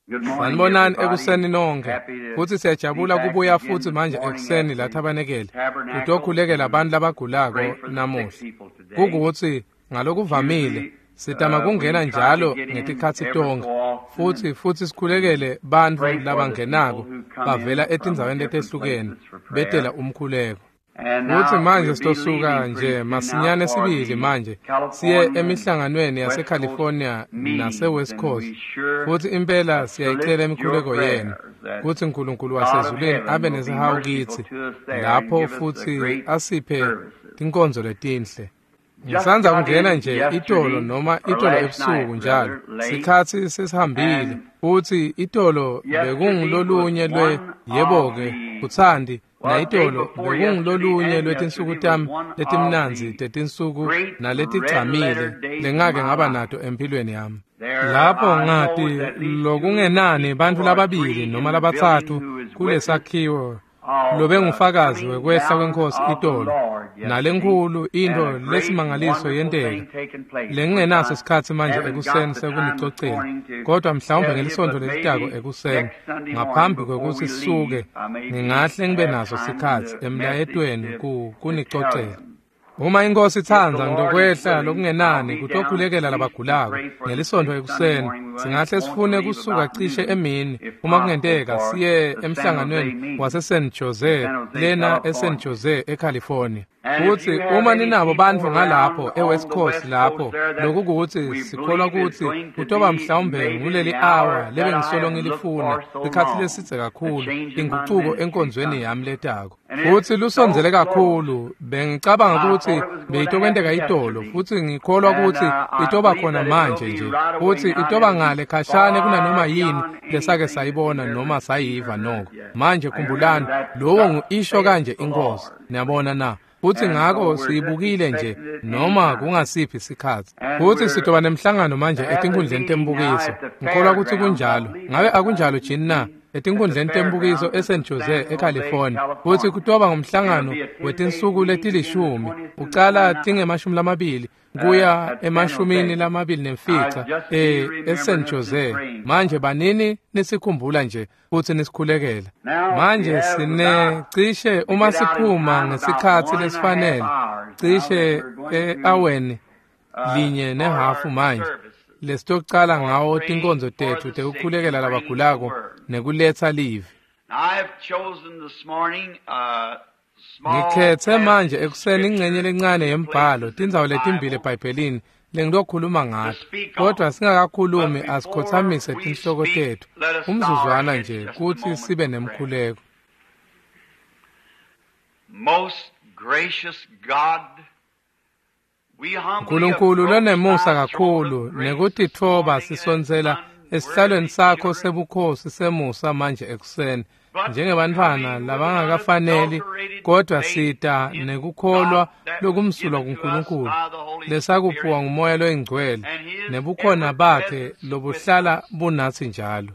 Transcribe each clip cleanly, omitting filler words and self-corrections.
Sanibonani ekuseni nonke, futsi siyajabula kubuya futsi manje ekuseni la thabanekele kutokhulekela abantu labagulako namuhla. Kukutsi ngalokuvamile sitama kungena njalo ngetikhatsi tonke futsi sikhulekele bantfu labangenako bavela etindzaweni letehlukene betela umkhuleko. Futsi manje sitosuka nje masinyane sibili manje siye emihlanganweni yaseCalifornia nase-West Coast, futsi impela siyayicela imikhuleko yenu kutsi Nkulunkulu wasezulwini abe nesihawu kitsi lapho futsi asiphe tinkonzo letinhle. Ngisandza kungena nje itolo noma itolo ebusuku njalo sikhatsi sesihambile, futsi itolo bekungulolunye lwe yebo-ke kutsandi nayitolo bekungulolunye lwetinsuku tami letimnandzi tetinsuku naletigcamile lengake ngaba nato empilweni yami. Lapho ngati lokungenani bantfu lababili noma labatsatfu kulesakhiwo lobengufakazi wekwehla kweNkhosi itolo, nalenkhulu intfo lesimangaliso yenteka lengingenaso sikhatsi manje ekuseni sekunicocela, kodwa mhlawumbe ngelisontfo lelitako ekuseni ngaphambi kwekutsi sisuke ngingahle ngibe naso sikhatsi emlayetweni kunicocela. Uma iNkhosi itsandza ngitokwehla lokungenani kutokhulekela labagulako ngelisontfo ekuseni. Singahle sifune kusuka cishe emini uma kungenteka siye emhlanganweni wase-San Jose lena eSan Jose eCalifornia. Futsi uma ninabo bantfu ngalapho eWest Coast lapho, lokukutsi sikholwa kutsi kutoba mhlawumbe nguleli hour lebengisolo ngilifuna sikhatsi lesidze kakhulu, ingucuko enkonzweni yami letako. Futsi lusondzele kakhulu, bengicabanga kutsi beyitokwenteka itolo, futsi ngikholwa kutsi itoba khona manje nje, futsi itoba ngale khashane kunanoma yini lesake sayibona noma sayiva noko. Manje khumbulani, lowo ngu-isho kanje iNkhosi, niyabona na? Futsi ngako siyibukile nje noma kungasiphi sikhatsi. Futsi sitoba nemhlangano manje etinkundleni tembukiso. Ngikholwa kutsi kunjalo. Ngabe akunjalo Jini na? Etinkundleni tembukiso eSan Jose eCalifornia. Futsi kutoba ngumhlangano wetinsuku letilishumi, ucala tinge-20 kuya ema-25 eSan Jose. Manje banini nisikhumbula nje futsi nisikhulekela. Manje sine cishe uma siphuma ngesikhatsi lesifanele, cishe e-aweni 1.5 manje lesitocala ngawo tinkonzo tetfu tekukhulekela labagulako nekuletsa livi. Ngikhetse manje ekuseni ingcenye lencane yembhalo, tindzawo letimbili eBhayibhelini lengitokhuluma ngato, kodwa singakakhulumi asikhotsamise tinhloko tetfu umzuzwana nje kutsi sibe nemkhuleko. Nkulunkulu lonemusa kakhulu nekutitfoba sisondzela esihlalweni sakho sebukhosi semusa manje ekuseni njengebantfwana labangakafaneli, kodwa sita nekukholwa lokumsulwa kuNkulunkulu lesakuphiwa nguMoya loyingcwele nebukhona bakhe lobuhlala bunatsi njalo.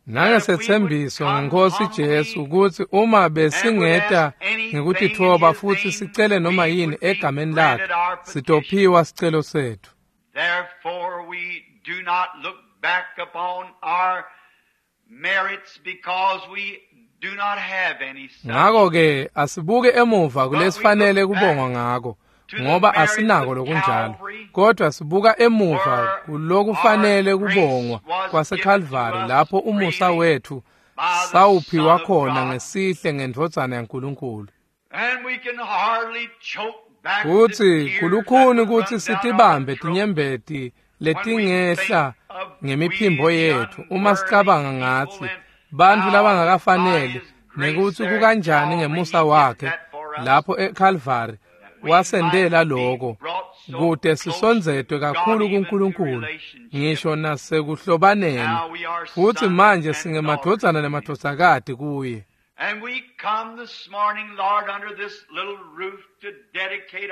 Nangesetsembiso ngeNkhosi Jesu kutsi uma besingeta ngekutitfoba futsi sicele noma yini egameni lakhe, sitophiwa sicelo setfu. Therefore we do not look back upon our merits because we do not have any such. Ngako-ke asibuke emuva kulesifanele kubongwa ngako, ngoba asinako lokunjalo, kodwa sibuka emuva kulokufanele kubongwa kwaseKalvari lapho umusa wetfu sawuphiwa khona ngesihle ngendvodzana yaNkulunkulu. Futsi kulukhuni kutsi sitibambe tinyembeti letingehla ngemiphimbo yetfu uma sicabanga ngatsi bantfu labangakafaneli nekutsi kukanjani ngemusa wakhe lapho eKalvari wasendela loko kute sisondzetwe kakhulu kuNkulunkulu ngisho nasekuhlobaneni, futsi manje singemadvodzana nemadvodzakati kuye.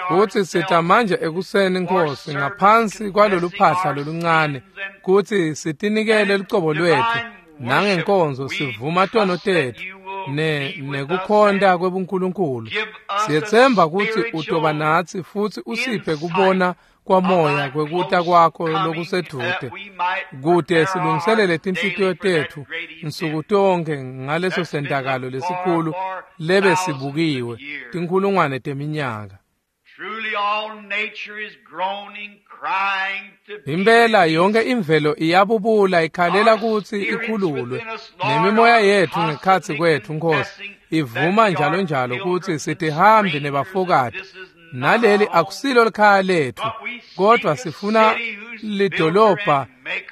Futsi sita manje ekuseni Nkosi ngaphansi kwalolu phahla loluncane kutsi sitinikele lucobo lwetfu nangenkonzo sivuma tono tetfu nekukhonta kwebuNkulunkulu. Siyetsemba kutsi utoba natsi futsi usiphe kubona kwamoya kwekuta kwakho lokusedvute, kute silungiselele tinhlitiyo tetfu nsuku tonkhe ngaleso sentakalo lesikhulu lebe sibukiwe tinkhulungwane teminyaka. Impela yonke imvelo iyabubula ikhalela kutsi ikhululwe, nemimoya yetfu ngekhatsi kwetfu, Nkosi, ivuma njalo njalo kutsi sitihambi nebafokati, naleli akusilo likhaya letfu, kodwa sifuna lidolobha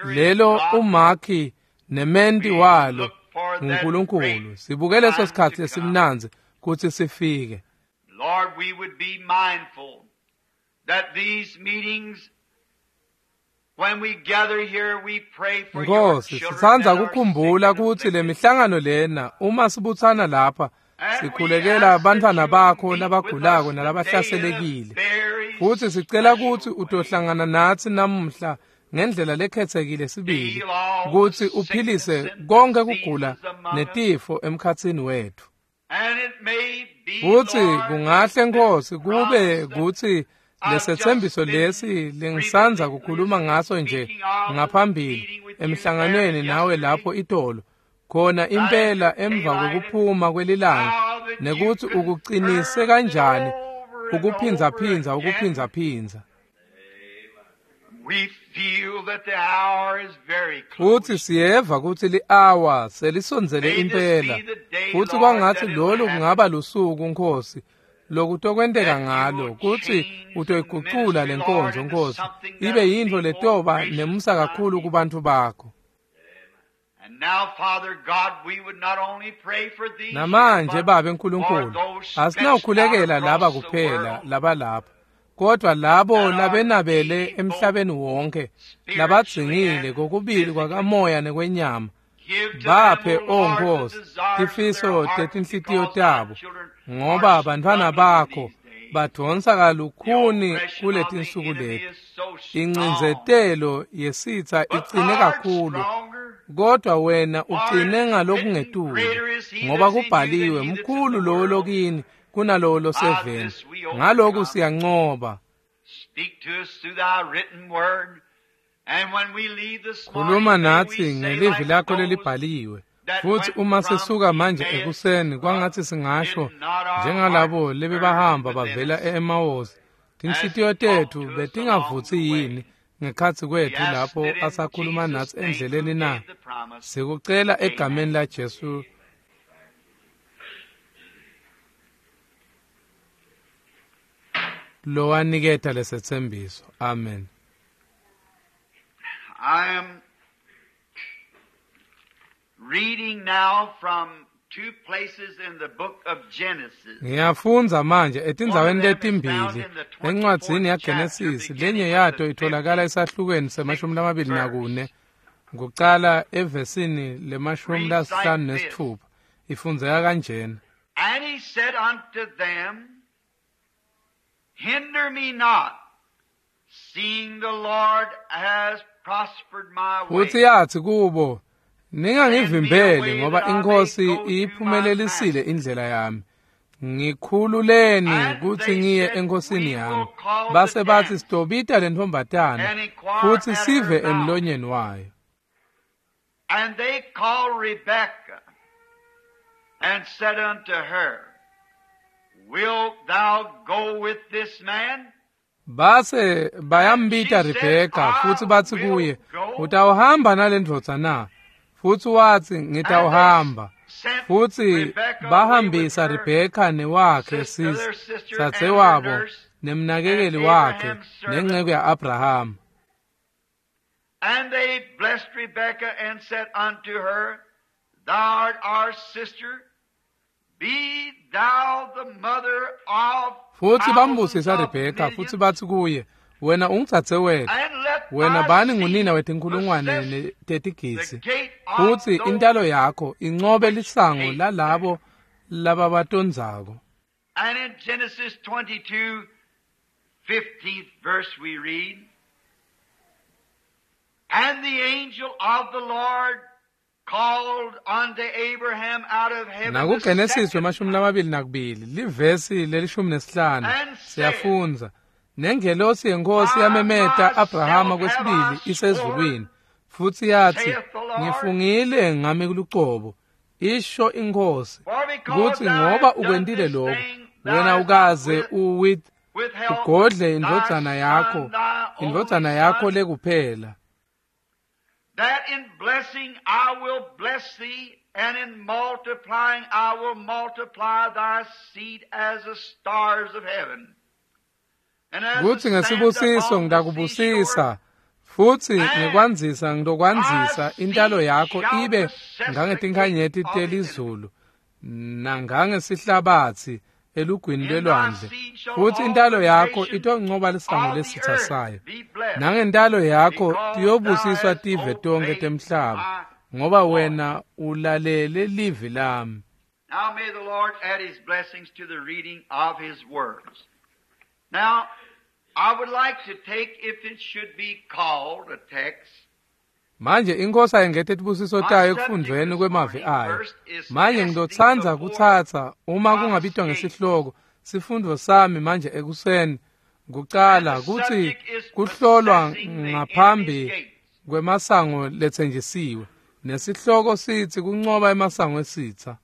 lelo umakhi nementi walo nguNkulunkulu. Sibuke leso sikhatsi lesimnandzi kutsi sifike. Lord, we would be mindful that these meetings, when we gather here, we pray for your Nkosi, children sitsandza that are kukhumbula sick and kutsi le afflicted. mihlangano lena uma sibutsana lapha And we sikhulekela ask that bantfwana you bakho meet with labagulako us today in a nalabahlaselekile. very Futsi sicela special kutsi way. utohlangana natsi namuhla ngendlela lekhethekile sibili, Heal all the kutsi sickness uphilise and konke kugula diseases among us. netifo emkhatsini wetfu. And it may be, Futsi Lord, kungahle that this Nkosi kube promise that kutsi I've just lesetsembiso been lesi lengisandza previously kukhuluma ngaso nje speaking of and ngaphambili meeting with you there emhlanganweni nawe yesterday, lapho itolo, khona right impela after emva daylight, and kwekuphuma kwelilanga, how that you nekutsi ukucinise confirmed it kanjani over and over ukuphindzaphindza again. ukuphindzaphindza. We feel that the hour is very Futsi close. siyeva kutsi li-awa selisondzele May this impela, be the day, futsi Lord, kwangatsi that it will lolu happen, kungaba lusuku, Nkosi, lokutokwenteka that you ngalo will kutsi change the utoyigucula ministry, le Lord, nkonzo, into Nkosi, something ibe that'll yintfo be more letoba gracious nemusa to thy kakhulu people. kubantfu bakho. And now, Father God, we would not only pray for these here, Namanje but Babe for Nkulunkulu, those stretched out asinawukhulekela laba across the kuphela world labalapha, kodwa labo that are labenabele needy both emhlabeni wonke, spiritually labadzingile and kokubili physically. kwakamoya nekwenyama. Give to them, Baphe, O o Lord, the Nkosi, desires of their tifiso heart, tetinhlitiyo because thy tabo, children are ngoba bantfwana struggling bakho these days. badvonsa The kalukhuni oppression of the kuletinsuku enemy leti. is so strong, Incindzetelo yesitsa but icine thou art kakhulu, stronger. kodwa wena For ucine it is written, ngalokungetulu, Greater is he ngoba that's in you than kubhaliwe, he that's in mkhulu the lowo world. lokini kunalowo By loseveni. this we Ngaloku overcome. siyancoba. Speak to us through thy written word. And when we leave this Khuluma morning, may we natsi say ngelivi like lakho those lelibhaliwe. that Futsi went uma from sisuka manje Emmaus, ekuseni kwangatsi singasho did not our njengalabo hearts burn lebebahamba within bavela us e-Emawusi, as tinhlitiyo he talked tetfu to us along betingavutsi the way? yini ngekhatsi We kwetfu ask lapho it in asakhuluma Jesus' natsi name who endleleni na? gave the promise. Sikucela Amen. egameni laJesu. Lowaniketa lesetsembiso. Amen. I am reading now from two places in the book of Genesis. Ngiyafundza manje One of etindzaweni them is found letimbili in the 24th encwadzini chapter, yaGenesisi, lenye beginning with yato the itholakala esahlukweni semashumi 56th lamabili verse. nakune kucala evesini lemashumi Reads like lasihlanu this. nesitfupha ifundzeka kanjena. And he said unto them, Hinder me not, seeing the Lord has prospered my Futsi way. yathi kubo, Send me ningangivimbeli away ngoba that I may iNkosi go to my iyiphumelelisile master. indlela yami. Ngikhululeni And kutsi they ngiye said, enkosini We yami. will call the Base batsi damsel sitobita lentfombatana and inquire futsi at her sive mouth. emlonyeni wayo. And they called Rebekah and said unto her, Wilt thou go with this man? Base And she bayambita said, Rebheka I futsi batsi will kuye, go. utawuhamba nalendvodza na? Futsi watsi, And they ngitawuhamba. sent Futsi Rebekah away with bahambisa her Rebheka newakhe sister, sisi their sister, and her dzadzewabo nurse, and nemnakekeli wakhe Abraham's servant. nenceku ya-Abrahama. And they blessed Rebekah and said unto her, Thou art our sister, be thou the mother of Futsi thousands bambusisa of Rebheka futsi millions, batsi kuye, wena ungudzadzewetfu, and let wena thy bani ngunina seed wetinkhulungwane possess the tetigidzi, gate of futsi those intalo yakho incobe which lisango hate them. lalabo lababatondzako. And in Genesis 22, 15th verse we read, And the angel of the Lord called unto Abraham out of heaven the NakuGenesis second wemashumi time, lamabili nakubili livesi lelishumi nesihlanu and said, siyafundza nengelosi yenkosi By yamemeta myself Abrahama have kwesibili I sworn, isezulwini futsi yathi saith the Lord, ngifungile ngami lucobo isho inkosi for because kutsi thou ngoba hast done ukwentile this lokhu thing, thou wena hast not ukaze withheld ugodle thy indvodzana yakho son, thy only indvodzana yakho son, lekuphela that in blessing I will bless thee, and in multiplying I will multiply thy seed as the stars of heaven, and as the kutsi sand ngesibusiso upon the seashore. ngitakubusisa futsi And ngekwandzisa thy ngitokwandzisa intalo seed yakho shall ibe possess the gate ngangetinkhanyeti of his enemies. telizulu nangangesihlabatsi elugwini In thy lwelwandle seed shall futsi all intalo the yakho nations itoncoba lisango of the lesitha earth sayo be blessed, nangentalo yakho because thou tiyobusiswa hast tive tonkhe obeyed temhlaba my ngoba voice. wena ulalele livi lami. Now may the Lord add his blessings to the reading of his words. Now, I would like to take, if it should be called a text, Manje inkosi ayengete tibusiso my tayo subject ekufundvweni this kwemavi morning ayo. first is Manje testing ngitotsandza before kutsatsa uma promised kungabitwa gates. ngesihloko sifundvo sami manje ekuseni And kucala the kutsi subject is kuhlolwa possessing the enemy's ngaphambi gates. kwemasango letsenjisiwe nesihloko sitsi kuncoba emasango esitsa.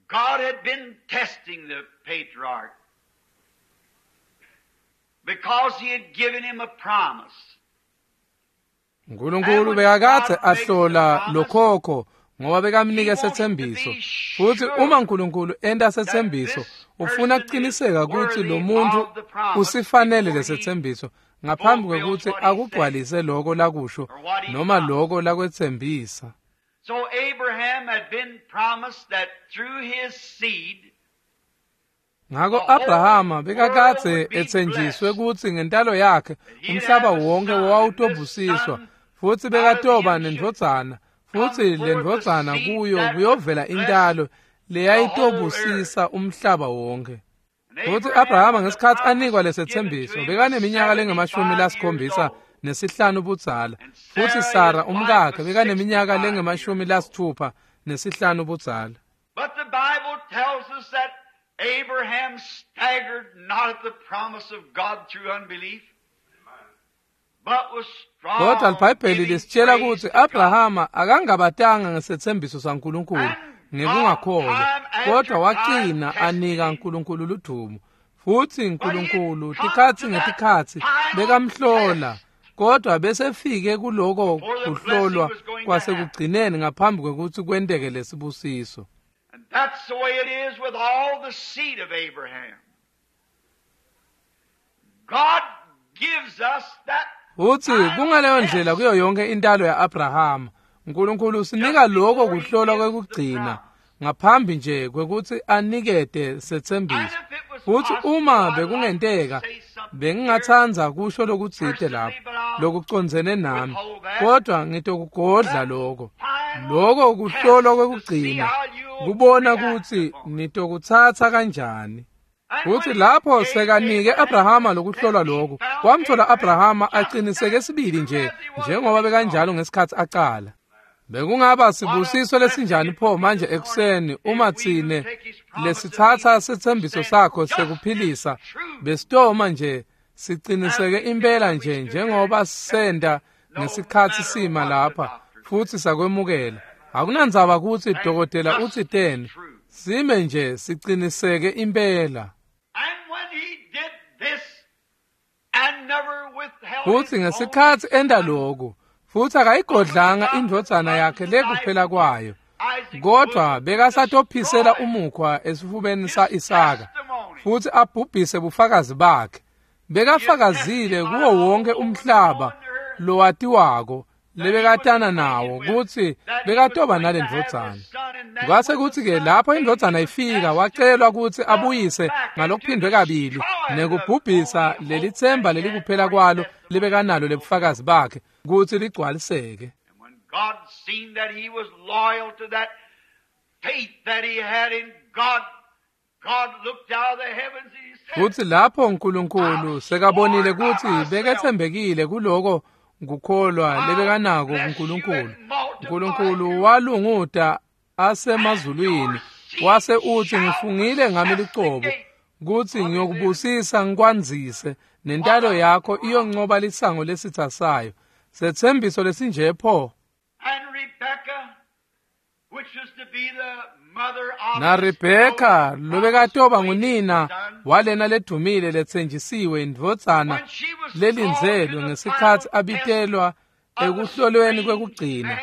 God had been testing the patriarch because he had given him a promise. And Nkulunkulu when bekakadze God makes a ahlola promise, lokhokho ngoba he bekamnike wants to setsembiso be futsi uma sure Nkulunkulu enta that setsembiso this ufuna person is kuciniseka kutsi worthy lo muntu of the promise usifanele before he lesetsembiso ngaphambi fulfills kwekutsi what he said akugcwalise loko lakusho or what he noma promised. loko lakwetsembisa. So Abraham had been promised that through his seed Ngako the whole Abrahama world bekakadze would be etsenjiswe blessed. kutsi ngentalo yakhe That he'd umhlaba have a wonke son, and this wawutobusiswa son futsi out of bekatoba him should nendvodzana come futsi forth a lendvodzana seed kuyo that would kuyovela bless intalo the whole earth. leyayitobusisa umhlaba wonke. And Futsi Abraham, Abrahama when the ngesikhatsi promise anikwa was given to lesetsembiso him, was bekaneminyaka lengemashumi 75 years lasikhombisa old. nesihlanu budzala And futsi Sarah, Sara his wife, umkakhe was bekaneminyaka 65 years lengemashumi old. lasitfupha nesihlanu budzala. But the Bible tells us that Abraham staggered not at the promise of God through unbelief, but was Kodwa strong, liBhayibheli giving lisitshela praise kutsi to God. Abrahama akangabatanga ngesetsembiso saNkulunkulu And God, ngekungakholwa, time kodwa after time, wagcina tested anika him. Nkulunkulu ludumo. Futsi But he had Nkulunkulu come to tikhatsi that ngetikhatsi final bekamhlola, test kodwa besefike kuloko before the blessing kuhlolwa was going to happen. kwasekugcineni ngaphambi kwekutsi kwenteke lesibusiso. And that's the way it is with all the seed of Abraham. God gives us that Futsi final kungaleyo ndlela test kuyo yonke intalo ya-Abrahama. Nkulunkulu usinika just loko before he kuhlolwa gives the kwekugcina promise. ngaphambi nje kwekutsi anikete And setsembiso. if it was Futsi possible, uma I'd like to bekungenteka say something here bengingatsandza kusho lokutsite personally, lapho but I'll lokucondzene nami, withhold that. kodwa ngitokugodla That loko. final Loko kuhlolwa test to see kwekugcina how you'll kubona react kutsi upon it. nitokutsatsa kanjani. And Futsi when he lapho gave sekanike Abraham Abrahama this lokuhlolwa test, he lokhu, found wamthola Abraham Abrahama just aqiniseke as sibili true nje as he was njengoba when he bekanjalo started. ngesikhatsi acala. Bekungaba What a sibusiso blessing lesinjani it pho would be manje this morning ekuseni if uma we who tsine take his promise of lesitsatsa healing setsembiso stand sakho just as sekuphilisa true besitoma nje as siciniseke we did impela when we nje stood here and njengoba accepted senta it, no ngesikhatsi matter sima what the lapha doctor futsi said. sakwemukela. Akunandzaba kutsi And dokotela just utsi as teni, true. sime nje siciniseke impela. And when he did this and never withheld Futsi his only ngesikhatsi enta son, lokhu, futsi but akayigodlanga begotten indvodzana yakhe unto thy lekuphela kwayo, Isaac's kodwa bosom, bekasatophisela destroy umukhwa esifubeni his sa-Isaka testimony. futsi abhubhise bufakazi bakhe. He had Bekafakazile testified kuwo all wonke over the umhlaba known earth lowatiwako that he was lebekatana acquainted nawo with, kutsi that he was bekatoba going to have this nalendvodzana. son, and then Kwase when the kutsi-ke son lapho came, he indvodzana was ifika asked to wacelwa kutsi double abuyise back and to ngalokuphindwe kabili destroy the nekubhubhisa only hope leli that tsemba he had lelikuphela for his kwalo testimony lebekanalo to be lebufakazi fulfilled. bakhe kutsi ligcwaliseke. And when God seen that he was loyal to that faith that he had in God, God looked out of the heavens and he said, Futsi lapho Nkulunkulu I've sekabonile sworn by kutsi myself beketsembekile kuloko kukholwa lebekanako kuNkulunkulu. Nkulunkulu walunguta asemazulwini wase utsi, ngifungile ngami lucobo kutsi ngiyokubusisa ngikwandzise nentalo yakho iyoncoba lisango lesitha sayo. Setsembiso lesinje pho. Na Rebheka lobekatoba ngunina walena ledumile letsenjisiwe indvodzana lelindzelwe ngesikhatsi abitelwa ekuhlolweni kwekugcina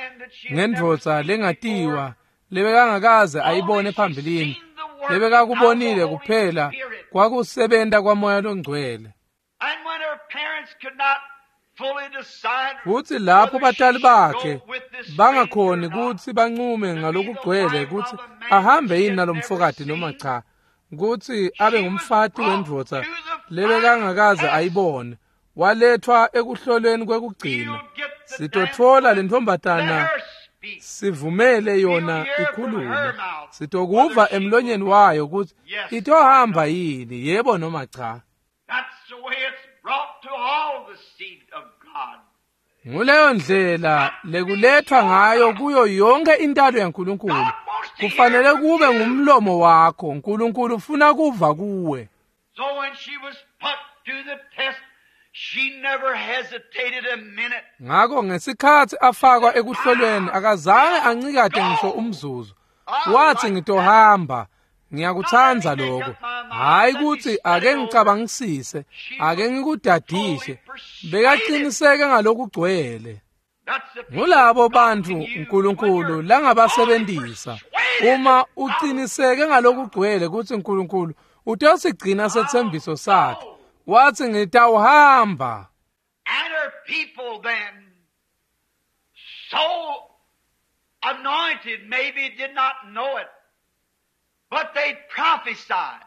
ngendvodza lengatiwa lebekangakaze ayibone phambilini, lebekakubonile kuphela kwakusebenta kwaMoya loNgcwele. Futsi lapho batali bakhe bangakhoni kutsi bancume ngalokugcwele kutsi ahambe yini nalomfokati noma cha, kutsi abe ngumfati wendvodza lebekangakaze ayibone, walethwa ekuhlolweni kwekugcina. Sitotfola lentfombatana, sivumele yona ikhulume, sitokuva emlonyeni wayo kutsi itohamba yini, yebo noma cha. Nguleyo ndlela lekulethwa ngayo kuyo yonke intalo yaNkulunkulu. Kufanele kube ngumlomo wakho. Nkulunkulu ufuna kuva kuwe. Ngako ngesikhatsi afakwa ekuhlolweni akazange ancikate ngisho umzuzu. Wathi, ngitohamba. Ngiyakutsandza lokho. Hayi kutsi ake ngicabangisise, ake ngikudadishe. Bekaqiniseke ngalokugcwele. Ngulabo bantfu uNkulunkulu langabasebentisa. Uma uqiniseke ngalokugcwele kutsi uNkulunkulu utosigcina setsembiso sakhe, wathi ngitawuhamba. And her people then, so anointed, maybe did not know it, but they prophesied.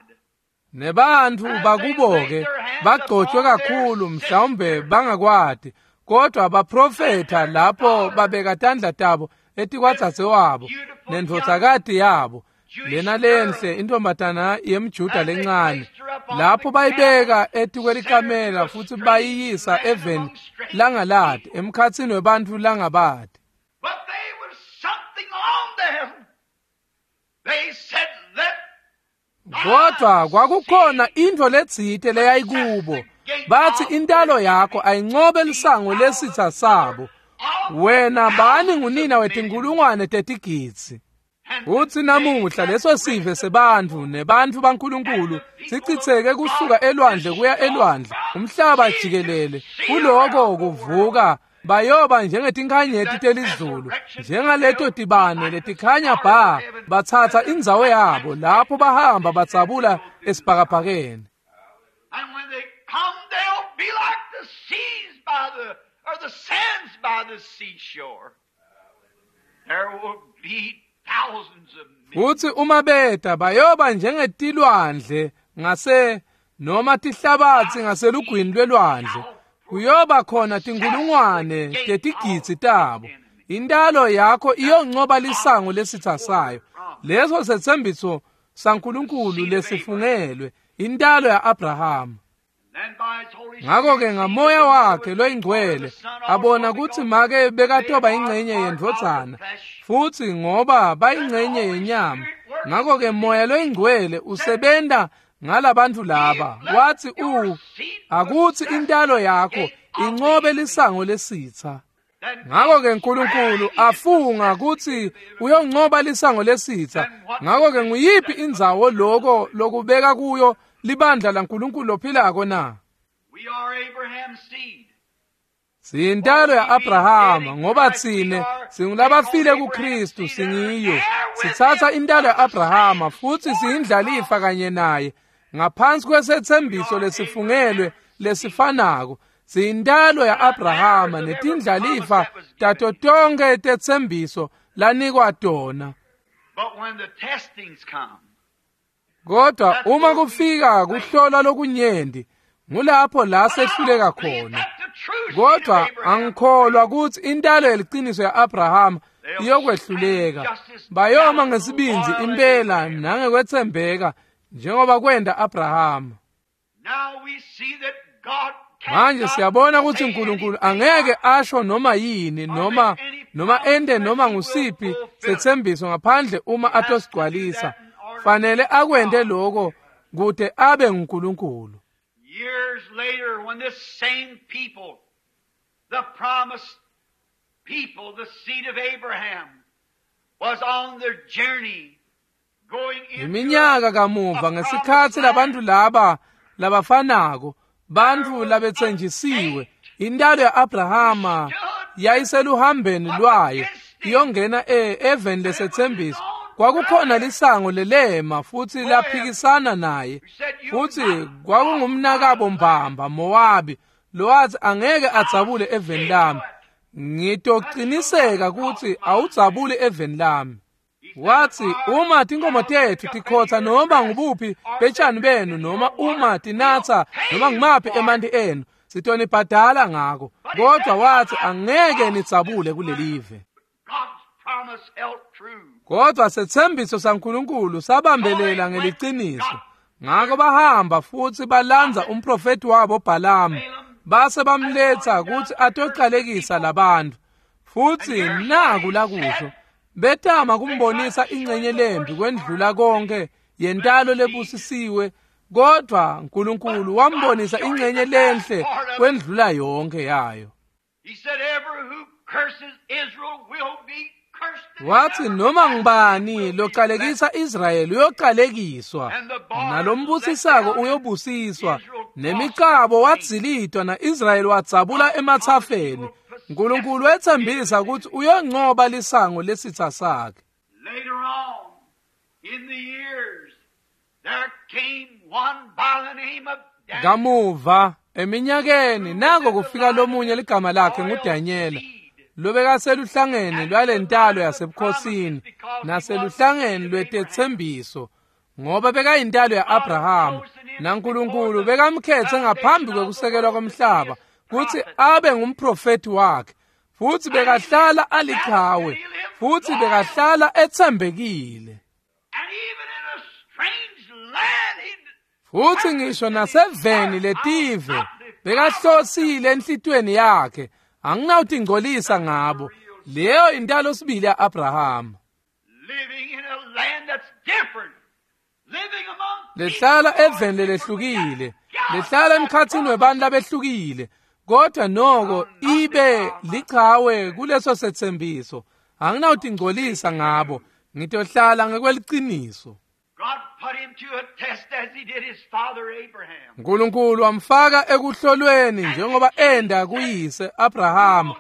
Nebantfu bakubo-ke bagcotshwe kakhulu, mhlawumbe bangakwati, kodwa baprofetha lapho babeka tandla tabo etikwadzadzewabo nendvodzakati yabo, lena lenhle intombatana yemJuda lencane, lapho bayibeka etikwelikamela futsi bayiyisa eveni langalati, emkhatsini webantfu langabati. But there was something on them. They said, let Kodwa kwakukhona intfo letsite leyayikubo. Bathi intalo yakho ayincobe lisango lesitha sabo. Wena bani ngunina wetinkulungwane tetigidzi. Utsi namuhla leso sive sebantfu nebantfu baNkulunkulu sicitseke kusuka elwandle kuya elwandle, umhlaba jikelele. Kuloko kuvuka bayoba njengetinkhanyeti telizulu, njengaleto tibane letikhanya bha, batsatsa indzawo yabo lapho bahamba batsabula esibhakabhakeni. And when they come, they'll be like the seas by the, or the sands by the seashore. There will be thousands of men. Futsi uma beta bayoba njengetilwandle ngase noma tihlabatsi ngaselugwini lwelwandle. Kuyoba khona tinkulungwane tetigidzi tabo. Intalo yakho iyoncoba lisango lesitha sayo. Leso setsembiso saNkulunkulu lesifungelwe, intalo ya-Abrahama. Then by his Holy Ngako-ke Spirit, ngamoya wakhe loyingcwele abona kutsi make bekatoba ingcenye yendvodzana, futsi ngoba bayingcenye yenyama. Ngako-ke moya loyingcwele usebenta ngalabantfu laba. Wathi akutsi intalo yakho incobe lisango lesitha. Ngako-ke uNkulunkulu afunga kutsi uyoncoba lisango lesitha. Ngako-ke nguyiphi indzawo loko lokubeka kuyo libandla laNkulunkulu lophilako na? We are Abraham's seed. Siyintalo ya-Abrahama ngoba tsine singulabafile kuKristu, singiyo. Sitsatsa intalo ya-Abrahama futsi siyindlalifa kanye naye ngaphansi kwesetsembiso lesifungelwe lesifanako. Siyintalo ya-Abrahama netindlalifa tato tonkhe tetsembiso lanikwa tona. But when the testings come, Kodwa uma kufika kuhlola lokunyenti, ngulapho la sehluleka khona. Kodwa angikholwa kutsi intalo yeliciniso ya-Abrahama iyokwehluleka. Bayoma ngesibindzi impela nangekwetsembeka njengoba kwenta Abrahama. Now we see that God Manje siyabona ukuthi uNkulunkulu angeke asho noma yini noma ende noma ngusiphi sethembiso ngaphandle uma atosigcwalisa. Fanele akwente lokho kude abe nguNkulunkulu. Years later, when this same people, the promised people, the seed of Abraham, was on their journey going into Iminyaka kamuva ngesikhathi labantu laba labafanako bantu labetsenjisiwe intalo yaAbrahama yayiseluhambeni lwayo iyongena eveni lesethembiso. Kwakukhona lisango lelema futhi laphikisana naye, futhi kwakungumnakabo mbamba Mowabi lowathi angeke adzabule eveni lami. Ngitoqiniseka ukuthi awudzabuli eveni lami. Wathi uma tinkomo tethu tikhotha noma ngubuphi betshani benu noma uma tinatha noma ngimaphi emanti enu sitonibhadala ngako, kodwa wathi angeke nidzabule kulelive. Kodwa sethembiso saNkulunkulu sabambelela ngeliciniso. Ngakho bahamba futhi balanza umprofeti wabo Balamu, base bamletha ukuthi atoqalekisa labantu. Futhi naku lakusho, betama kumbonisa ingcenye lembi kwendlula konke yentalo lebusisiwe, kodwa uNkulunkulu wambonisa ingcenye lenhle kwendlula yonke yayo. Wathi noma ngubani loqalekisa Israyeli uyoqalekiswa, nalombusisako uyobusiswa. Nemicabo wadzilitwa na-Israyeli wadzabula emathafeni. uNkulunkulu wethembisa ukuthi uyonqoba lisango lesitha sakhe. Later on in the years there came one by the name of Daniel. Kamuva eminyakeni nako kufika lomunye ligama lakhe nguDanyela, lobekaseluhlangeni lwalentalo yasebukhosini naseluhlangeni lwetethembiso, ngoba bekayintalo yaAbraham, naNkulunkulu bekamkhethe ngaphambi kwekusekelwa komhlaba kuthi abe ngumprofeti wakhe, futhi bekahlala aliqhawe, futhi bekahlala ethembekile. Futhi ngisho naseveni letive bekahlosile enhlitweni yakhe, anginawutingcolisa ngabo. Leyo intalo sibili yaAbraham, lehlala eveni lelehlukile, lehlala emkhathini webantu labehlukile, kodwa noko ibe lichawe kuleso sethembiso. Anginawutingcolisa ngabo, ngitohlala ngekweliciniso. uNkulunkulu wamfaka ekuhlolweni njengoba enda kuyise Abraham.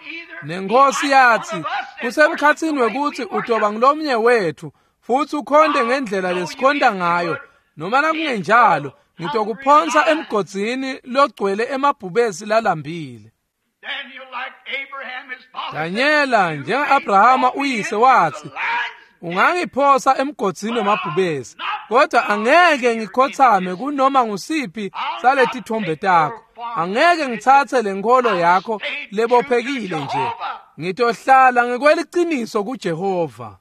Nenkosi yathi kusemkhathini wekuthi utoba ngilomnye wethu futhi ukhonde ngendlela lesikhonda ngayo, noma nakungenjalo ngitokuphonsa emgodzini logcwele emabhubesi lalambile. Danyela njenga-Abrahama uyise wathi, ungangiphosa emgodzini wemabhubesi, kodwa angeke ngikhothame kunoma ngusiphi saletithombe takho. Angeke ngithathe lenkolo yakho lebophekile nje. Ngitohlala ngekweliciniso kuJehova.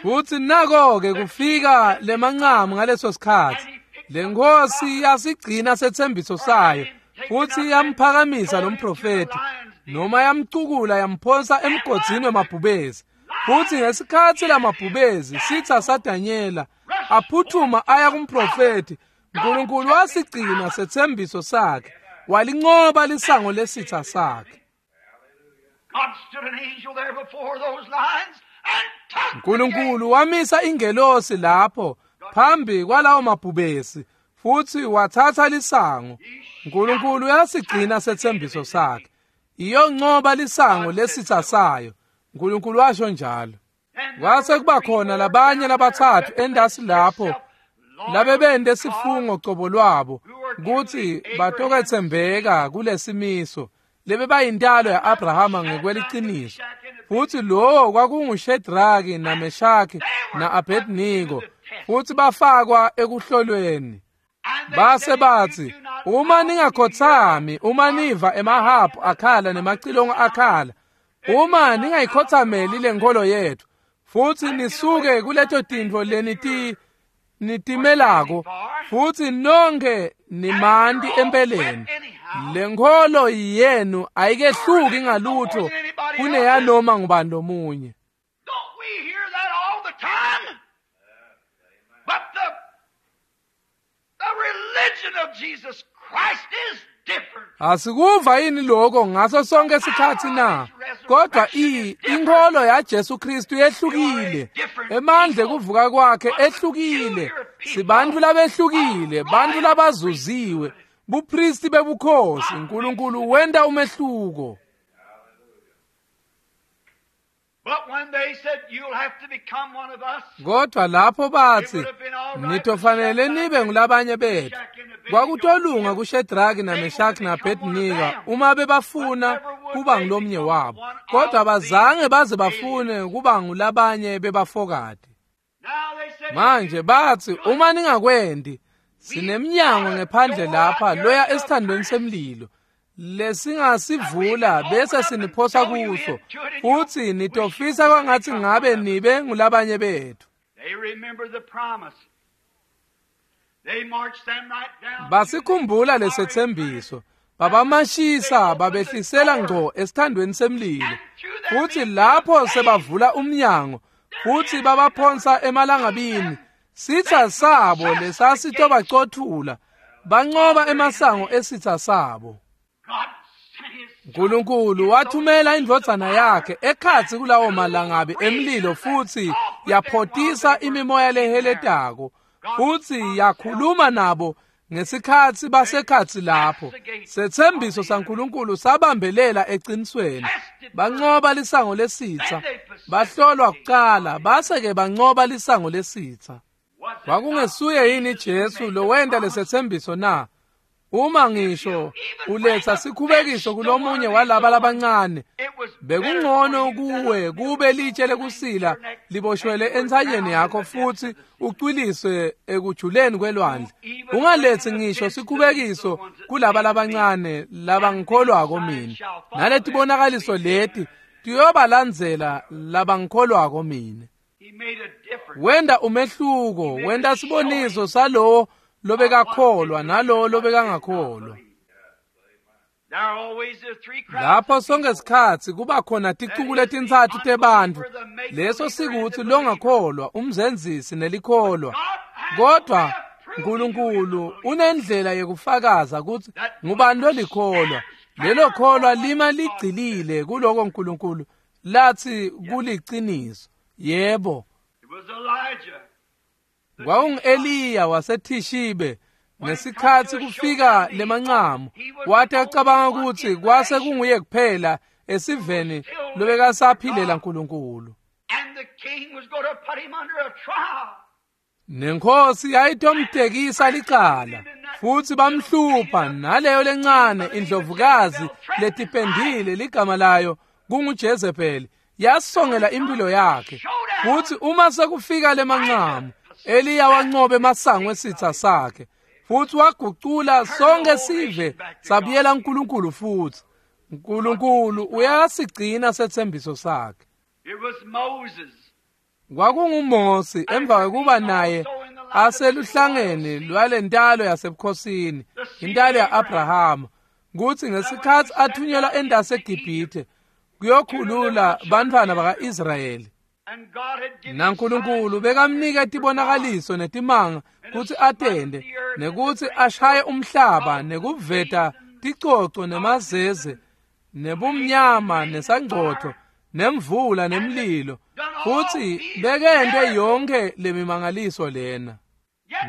Futhi nako-ke kufika lemancamu ngaleso sikhathi. Lenkosi yasigcina sethembiso sayo, futhi yamphakamisa lo mprofeti, noma yamcukula yamphonsa emgodzini wemabhubesi. Futhi ngesikhathi lamabhubesi sitha saDanyela aphuthuma aya kumprofeti, uNkulunkulu wasigcina sethembiso sakhe, walinqoba lisango lesitha sakhe. uNkulunkulu wamisa ingelosi lapho phambi kwalawo mabhubesi futhi wathatha lisango. uNkulunkulu uyasigcina sethembiso sakhe, iyonqoba lisango lesitha sayo. uNkulunkulu washo njalo. Kwase kuba khona labanye labathathu endasi lapho labebende sifungo cobo lwabo kuthi batokethembeka kulesimiso lebebayintalo yaAbrahama ngekweliciniso. Futhi lowo kwakunguShedraki naMeshaki naAbednego, futhi bafakwa ekuhlolweni. Base bathi, uma ningakhothami, uma niva emahabhu akhala nemacilongo akhala, uma ningayikhothameli lenkolo yethu futhi nisuke kuleto tintfo nitimelako futhi nonke nimanti empeleni, lenkholo yenu ayikehluki ngalutho kuneyanoma ngubani lomunye. Don't we hear that all the time? But the religion of Jesus Christ is different. Asikuva yini lokho ngaso sonke isikhathi na? Kodwa inkholo yaJesu Kristu yehlukile. Emandla ekuvuka kwakhe ehlukile. Sibantu labehlukile, bantu labazuziwe. Bupristi bebukhosi, uNkulunkulu wenta umehluko. But when they said you'll have to become one of us, Kodwa lapho bathi nitofanele nibe ngulabanye bethu, kwakutolunga kuShedraki naMeshaki naAbednego uma bebafuna kuba ngulomnye wabo, kodwa abazange baze bafune kuba ngulabanye bebafokati. now they said, Manje bathi uma ningakwendi, sinemnyango ngephandle lapha loya esithandweni semlilo lesingasivula bese siniphosa kuso, futhi nitofisa kwangathi ngabe nibe ngulabanye bethu. They remember the promise. They marched them right down. Basikhumbula lesethembiso, babamashisa babehlisela ngqo esithandweni semlilo, futhi lapho sebavula umnyango futhi babaphonsa emalangabini, sitha sabo lesasitobacothula banqoba emasango esitha sabo. God sent his uNkulunkulu wathumela indvodzana yakhe ekhatsi kulawo malangabi emlilo futhi yaphotisa imimoya leheletako futhi yakhuluma nabo ngesikhatsi basekhatsi lapho. Sethembiso saNkulunkulu sabambelela eqinisweni. Banqoba lisango lesitha, bahlolwa kuqala base-ke banqoba lisango lesitha. Kwakungesuye yini Jesu lowenta lesethembiso na? Uma ngisho uletha sikhubekiso kulomunye walaba labancane, It was bekungcono kuwe kube litshe lekusila liboshwele entsanyeni yakho futhi ucwiliswe ekujuleni kwelwandle. Ungalethi ngisho sikhubekiso kulaba labancane labangikholwako mina. Naletibonakaliso leti tiyobalandzela labangikholwako mina. He made a difference. Wenda umehluko, wenda siboniso salowo lobekakholwa nalowo lobekangakholwa. There are always the three crowds. Lapho sonke sikhatsi kuba khona ticuku letintsatfu tebantfu, leso sikuthi longakholwa, umzenzisi nelikholwa. Kodwa uNkulunkulu unendlela yekufakaza kutsi ngubani lolikholwa. Lelo kholwa lima ligcilile kuloko uNkulunkulu lathi kuliciniso. Yebo. It was Elijah. Kwakungu-Eliya waseThishibe ngesikhatsi kufika lemancamu, wathi acabanga ukuthi kwase kunguye kuphela esiveni lobekasaphilela uNkulunkulu. And the king was going to put him under a trial. Nenkosi yayitomtekisa licala futhi bamhlupha naleyo lencane indlovukazi letipendile ligama layo kunguJezebeli yasongela impilo yakhe. Futhi uma sekufika lemancamu, Eliya wanqoba emasango esitha sakhe futhi wagucula sonke sive sabuyela uNkulunkulu futhi. uNkulunkulu uyasigcina sethembiso sakhe. It was Moses. KwakunguMosi emva kokuba naye aseluhlangeni lwalentalo yasebukhosini, intalo ya-Abrahama, kutsi ngesikhatsi athunyelwa endasi eGibhithe kuyokhulula bantfwana baka-Israyeli. And God had given NaNkulunkulu bekamnika tibonakaliso netimanga kutsi atende nekutsi ashaye umhlaba nekuveta ticoco nemazeze nebumnyama nesangcotfo nemvula nemlilo, futhi bekente yonke lemimangaliso lena.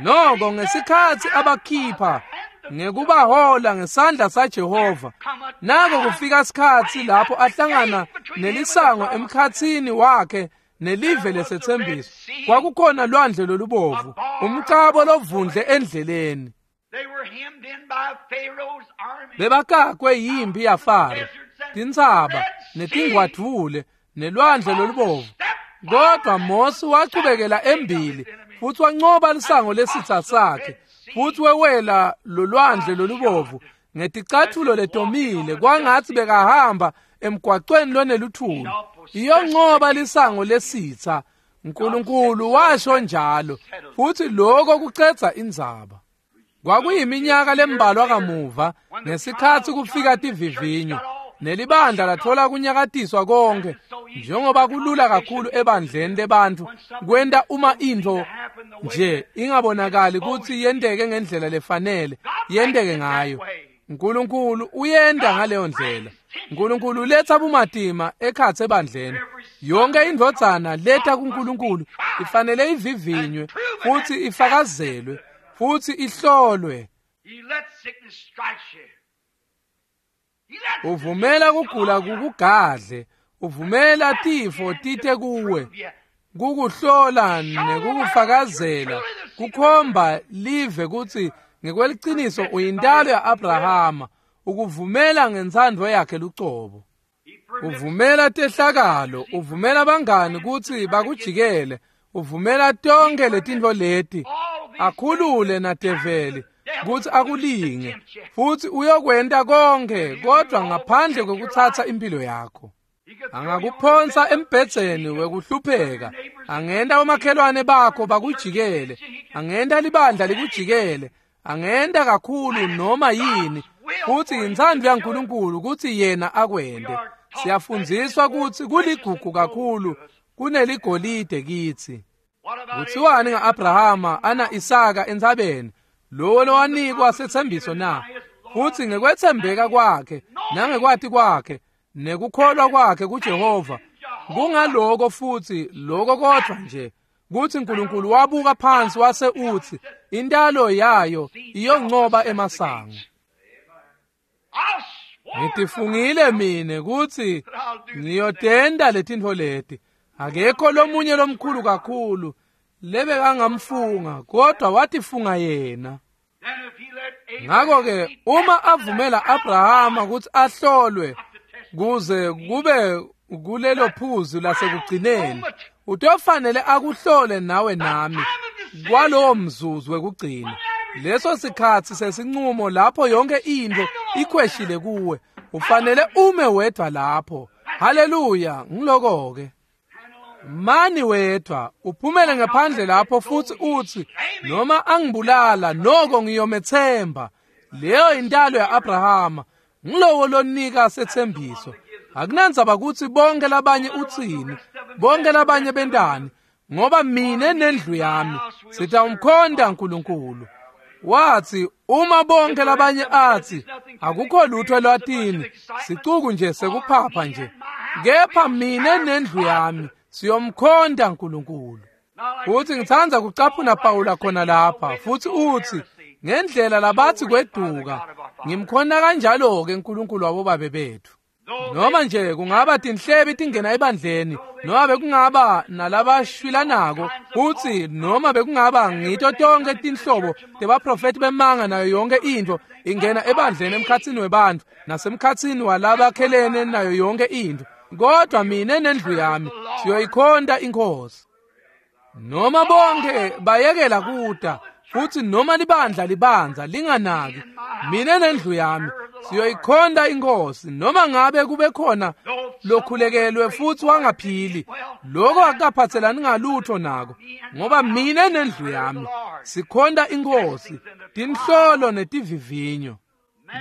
Noko ngesikhatsi abakhipha ngekubahola ngesandla saJehova, nako kufika sikhatsi lapho ahlangana nelisango emkhatsini wakhe nelive lesethembiso. Kwakukhona lwandle lolubovu, umcabo lovundle endleleni. They were hemmed in by Pharaoh's army. Bebakakwe yimpi yaFaro, tintsaba netingwadvule nelwandle lolubovu. Kodwa Mose wachubekela embili futhi wanqoba lisango lesitha sakhe futhi wewela lolwandle lolubovu ngeticathulo letomile kwangathi bekahamba emgwacweni loneluthuli. Iyonqoba lisango lesitha. Nkulunkulu washo njalo, futhi lokho kucedza indzaba. Kwakuyiminyaka lembalwa kamuva ngesikhatsi kufika tivivinyo nelibandla lathola kunyakatiswa konke, njengoba kulula kakhulu ebandleni lebantfu kwenta uma intfo nje ingabonakali kutsi yenteke ngendlela lefanele yenteke ngayo. Nkulunkulu uyenta ngaleyo ndlela. Nkulunkulu uletsa bumatima ekhatsi ebandleni. Yonke indvodzana leta kuNkulunkulu ifanele ivivinywe futhi ifakazelwe futhi ihlolwe. Uvumela kugula kukugadle, uvumela tifo tite kuwe, kukuhlola nekukufakazela, kukhomba live kutsi ngekweliciniso uyintalo ya-Abrahama, ukuvumela ngentsandvo yakhe lucobo. Uvumela tehlakalo, uvumela bangani kutsi bakujikele, uvumela tonkhe letintfo leti, akhulule nadeveli kutsi akulinge, futhi uyokwenta konke kodwa ngaphandle kwekutsatsa impilo yakho. Angakuphonsa embhedzeni wekuhlupheka, angenta omakhelwane bakho bakujikele, angenta libandla likujikele, angenta kakhulu noma yini, futhi intsandvo yaNkulunkulu kutsi yena akwente. Siyafundziswa kutsi kuligugu kakhulu kuneligolide kitsi. Kuthiwani nga-Abrahama ana Isaka entsabeni, lowo lowanikwa setsembiso na? Futhi ngekwetsembeka kwakhe nangekwati kwakhe nekukholwa kwakhe kuJehova, kungaloko futhi lokho kodwa nje kutsi uNkulunkulu wabuka phansi wase utsi intalo yayo iyoncoba emasango. Ngitifungile mine kutsi ngiyotenda letintfo leti. Akekho lomunye lomkhulu kakhulu lebekangamfunga, kodwa watifunga yena. Ngakho-ke uma avumela Abrahama kutsi ahlolwe kuze kube kulelo phuzu lasekugcineni, utofanele akuhlole nawe nami kwalowo mzuzu wekugcina. Leso sikhatsi sesinqumo lapho yonke intfo ikhweshile kuwe, ufanele ume wedvwa lapho. Haleluya, ngiloko-ke. Mani wedvwa, uphumele ngaphandle lapho futhi utsi noma angibulala noko ngiyomethemba. Leyo intalo ya-Abrahama, ngilowo lonika setsembiso. Akunandzaba kutsi bonke labanye utsini, bonke labanye bentani, ngoba mine nendlu yami sitawumkhonta uNkulunkulu. Wathi uma bonke labanye athi akukho lutho lwatini, sicuku nje sekuphapha nje, kepha mine nendlu yami siyomkhonta uNkulunkulu. Futhi ngitsandza kucaphuna Pawula khona lapha, futhi uthi ngendlela labathi kweduka, ngimkhona kanjalo-ke uNkulunkulu wabobabe bethu. Noma nje kungaba tinhlebi tingena ebandleni, noma bekungaba nalabashwilanako, futhi noma bekungaba ngito tonke tinhlobo tebaprofethi bemanga nayo yonke intfo ingena ebandleni emkhatsini webantfu nasemkhatsini walabakhelene nayo yonke intfo, kodwa mine nendlu yami siyoyikhonta iNkhosi. Noma bonke bayekela kuta, futhi noma libandla libanza linganaki, mine nendlu yami siyoyikhonta iNkhosi. Noma ngabe kube khona lokhulekelwe futhi wangaphili, lokho akukaphathelani ngalutho nako, ngoba mine nendlu yami sikhonta iNkhosi. Tinhlolo netivivinyo.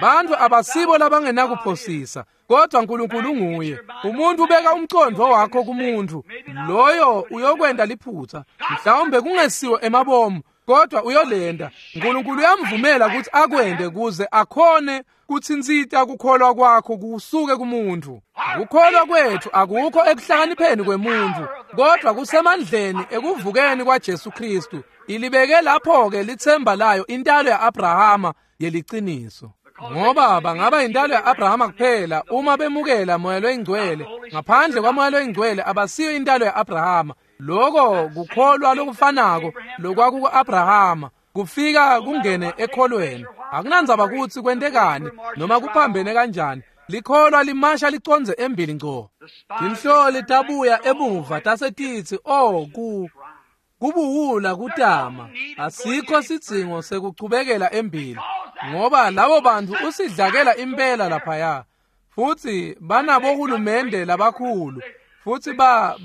Bantfu abasibo labangenakuphosisa, kodwa uNkulunkulu nguye. Umuntu ubeka umcondvo wakho kumuntu, loyo uyokwenta liphutsa, mhlawumbe kungesiwo emabomu, kodwa uyolenda. uNkulunkulu uyamvumela ukuthi akwende kuze akhone kutsintsita kukholwa kwakho kusuke kumuntu. Kukholwa kwethu akukho ekuhlakanipheni kwemuntu, kodwa kusemandleni ekuvukeni kwaJesu Kristu. Ilibeke lapho-ke litsemba layo intalo ya-Abrahama yeliciniso. Ngoba bangaba intalo ya-Abrahama kuphela uma bemukela moya loyingcwele. Ngaphandle kwamoya loyingcwele abasiyo intalo ya-Abrahama. Lokho kukholwa lokufanako lokwakuku-Abrahama kufika kungene ekholweni. Akunandzaba kutsi kwentekani noma kuphambene kanjani, likholwa limasha licondze embili ngco. Tinhloli tabuya emuva tasetitsi, oh, kubuwula kutama, asikho sidzingo sekuchubekela embili, ngoba labo bantfu usidlakela impela laphaya, futhi banabohulumende labakhulu, Futsi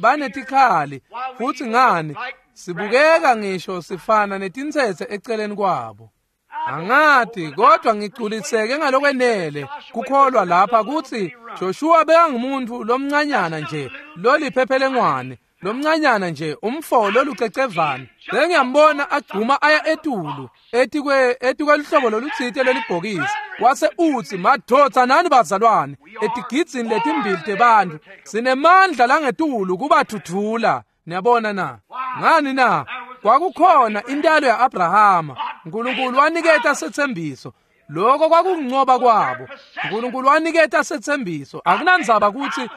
banetikhali, futsi ngani, sibukeka ngisho sifana netintsetse eceleni kwabo. Angati, kodwa ngigculiseke ngalokwenele kukholwa lapha kutsi Joshua bekangumuntu lomncanyana nje, loliphephelengwane, lomncanyana nje, umfo lolucecevane. Bengiyambona agcuma aya etulu, etikweluhlobo lolutsite lelibhokisi. Wase utsi, madvodza nani bazalwane, etigidzini letimbili tebantfu, sinemandla langetulu kubathuthula. Niyabona na? Ngani na? Kwakukhona intalo ya-Abrahama. Nkulunkulu waniketa setsembiso. Lokho kwakunqoba kwabo. Nkulunkulu waniketa setsembiso. Akunandzaba kutsi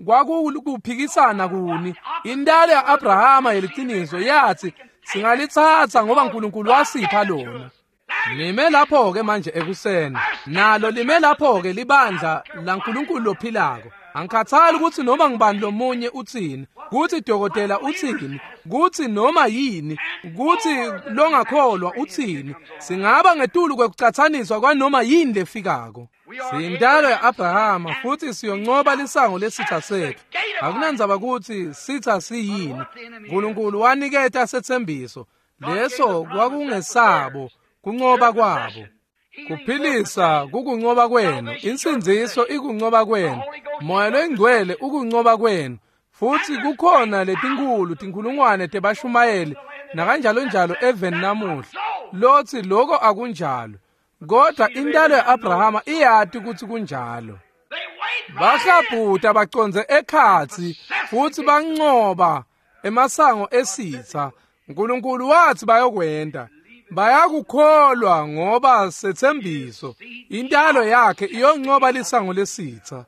kwakukuphikisana kuni. Intalo ya-Abrahama yeliciniso yathi singalitsatsa ngoba Nkulunkulu wasipha lona. Lime lapho-ke manje ekuseni. Nalo lime lapho-ke libandla laNkulunkulu lophilako. Angikhathali ukuthi noma ngibani lomunye utsini, kutsi dokotela utsini, kutsi noma yini, kutsi longakholwa utsini. Singaba ngetulu kwekucatsaniswa kwanoma yini lefikako. Siyintalo ya-Abrahama futsi siyoncoba lisango lesitha setfu. Akunandzaba kutsi sitha siyini. Nkulunkulu waniketa setsembiso. Leso kwakungesabo kuncoba kwabo. Kuphilisa kukuncoba kwenu, insindziso ikuncoba kwenu, Moya loyingcwele ukuncoba kwenu. Futsi kukhona letinkhulu tinkhulungwane tebashumayeli nakanjalo njalo eveni namuhla lotsi lokho akunjalo, kodwa intalo ya-Abrahama iyati kutsi kunjalo. Bahlabhuta bacondze ekhatsi futsi bancoba emasango esitha. Nkulunkulu watsi bayokwenta. Bayakukholwa ngoba setsembiso. Intalo yakhe iyoncoba lisango lesitha.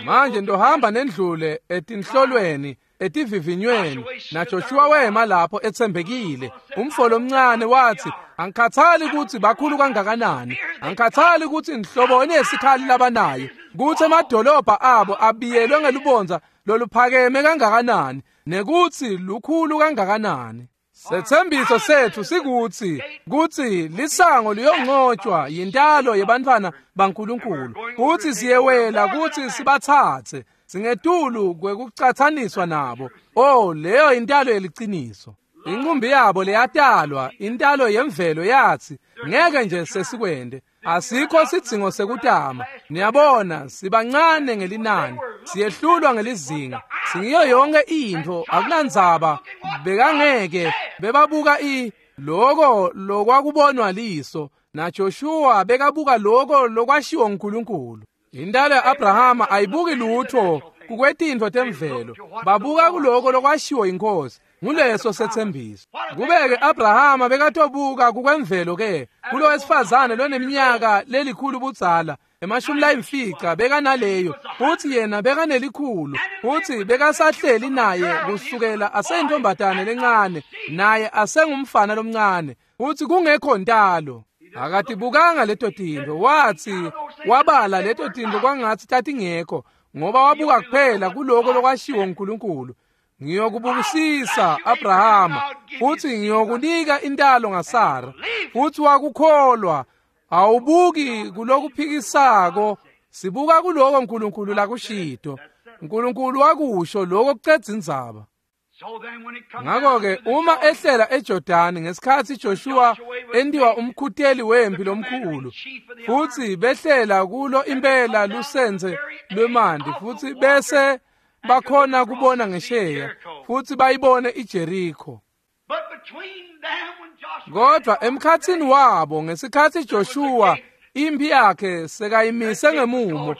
Manje ndohamba nendlule etinhlolweni, etivivinyweni, naJoshua wema lapho etsembekile. Umfo lomncane wathi, angikhathali kutsi bakhulu kangakanani, angikhathali kutsi inhloboni yesikhali labanayo, kutsi emadolobha abo abiyelwe ngelubondza loluphakeme kangakanani, nekutsi lukhulu kangakanani. Setsembiso setfu sikutsi kutsi lisango liyonqotshwa yintalo yebantfwana baNkulunkulu, kutsi siyewela kutsi sibatsatse singetulu kwekucatsaniswa nabo. Oh, leyo intalo yeliciniso. Inqumbi yabo leyatalwa, intalo yemvelo yathi ngeke nje sesikwende. Asikho sidzingo sekutama. Niyabona, sibancane ngelinani, siyehlulwa ngelizinga, singiyo yonke intfo. Akunandzaba, bekangeke bebabuka loko lokwakubonwa liso, naJoshua bekabuka loko lokwashiwo nguNkulunkulu. Intalo ya-Abrahama ayibuki lutho kukwetintfo temvelo, babuka kuloko lokwashiwo yiNkhosi. Nguleso setsembiso. Kubeke Abrahama bekatobuka kukwemvelo ke kulo wesifazane loneminyaka lelikhulu budzala, 50 bekanaleyo, futsi yena bekanelikhulu, futsi bekasahleli naye kusukela aseyintombatane lencane, naye asengumfana lomncane, futsi kungekho ntalo. Akatibukanga leto tintfo, watsi wabala leto tintfo kwangatsi tatingekho, ngoba wabuka kuphela kuloko lokwashiwo nguNkulunkulu. Ngiyokubusisa Abrahama, futsi ngiyokunika intalo ngaSara. Futsi wakukholwa. Awubuki kulokuphikisako, sibuka kuloko uNkulunkulu lakushito. uNkulunkulu wakusho lokho kucedza indzaba. Ngakho-ke uma ehlela eJordani ngesikhatsi Joshua entiwa umkhuteli wempi lomkhulu, futsi behlela kulo impela lusenze lwemanti, futsi bese bakhona kubona ngesheya futsi bayibone iJeriko. Kodwa emkhatsini wabo ngesikhatsi Joshua impi yakhe sekayimise ngemumo,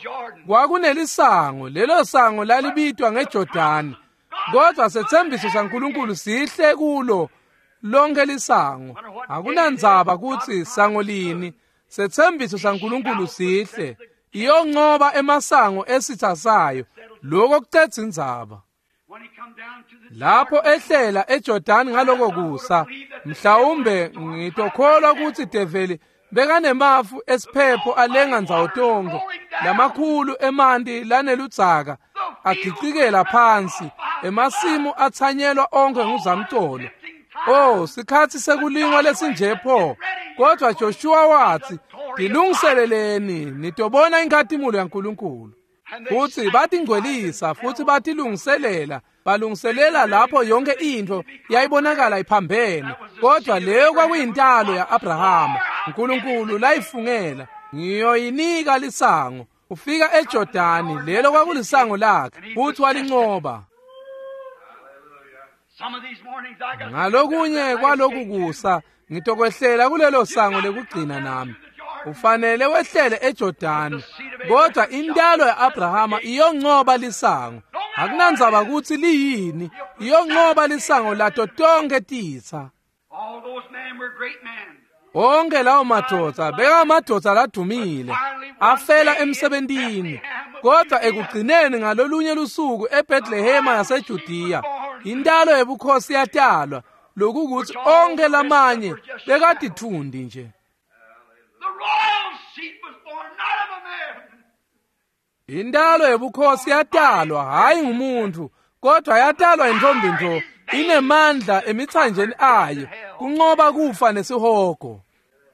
kwakunelisango, lelo sango lalibitwa ngeJordani. Kodwa setsembiso saNkulunkulu sihle kulo lonke lisango. Akunandzaba kutsi sango lini, setsembiso saNkulunkulu sihle. Iyonqoba emasango esitha sayo. Lokho kucedza indzaba. Lapho ehlela eJordani ngaloko kusa, mhlawumbe ngitokholwa ukuthi develi bekanemafu esiphepho alenga ndzawo tonke, lamakhulu emanti laneludzaka agicikela phansi, emasimu atsanyelwa onke nguzamcolo. Oh, sikhatsi sekulingwa lesinje pho. Kodwa Joshua wathi, "Tilungiseleleni, nitobona inkhatimulo yaNkulunkulu." Futsi batingcwelisa futsi batilungiselela, balungiselela lapho yonke intfo yayibonakala iphambene. Kodwa leyo kwakuyintalo ya-Abrahama, uNkulunkulu layifungela, ngiyoyinika lisango. Ufika eJordani, lelo kwakulisango lakhe, futhi walinqoba. Ngalokunye kwaloku kusa ngitokwehlela kulelo sango lekugcina nami. Ufanele wehlele eJordani, kodwa intalo ya-Abrahama iyonqoba lisango. Akunandzaba ukuthi liyini, iyonqoba lisango lato tonke titsa. Onke lawo madvodza bekamadvodza ladumile, afela emsebentini. Kodwa ekugcineni ngalolunye lusuku eBethlehema yaseJudiya, intalo yebukhosi yatalwa, lokukuthi onke lamanye bekatithundi nje. Intalo yebukhosi yatalwa hayi ngumuntu, kodwa yatalwa intombi nto, inemandla emithanjeni ayo kunqoba kufa nesihogo.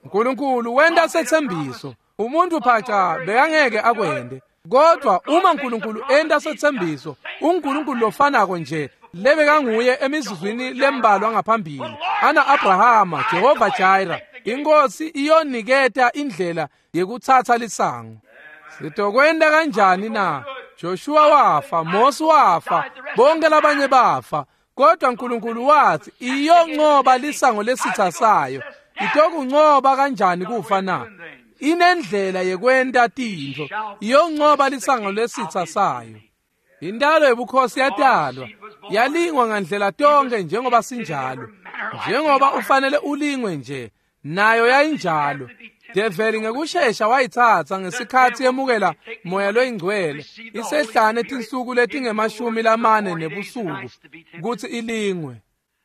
uNkulunkulu wenta setsembiso, umuntu phaca bekangeke akwende. Kodwa uma uNkulunkulu enta setsembiso, uNkulunkulu lofanako nje lebekanguye emizuzwini lembalwa ngaphambili, ana Abrahama, Jehova Jireh, inkosi iyoniketa indlela yekutsatsa lisango. Sitokwenta kanjani na? Joshua wafa, Mose wafa, bonke labanye bafa. Kodwa uNkulunkulu wathi iyonqoba lisango lesitha sayo. Itokunqoba kanjani kufa na? Inendlela yekwenta tintfo. Iyonqoba lisango lesitha sayo. Intalo yebukhosi yatalwa, yalingwa ngandlela tonke njengoba sinjalo. Njengoba ufanele ulingwe nje, nayo yayinjalo. Develi ngekushesha wayitsatsa ngesikhatsi yemukela moya loyingcwele isehlane tinsuku letinge-40 nebusuku kutsi ilingwe.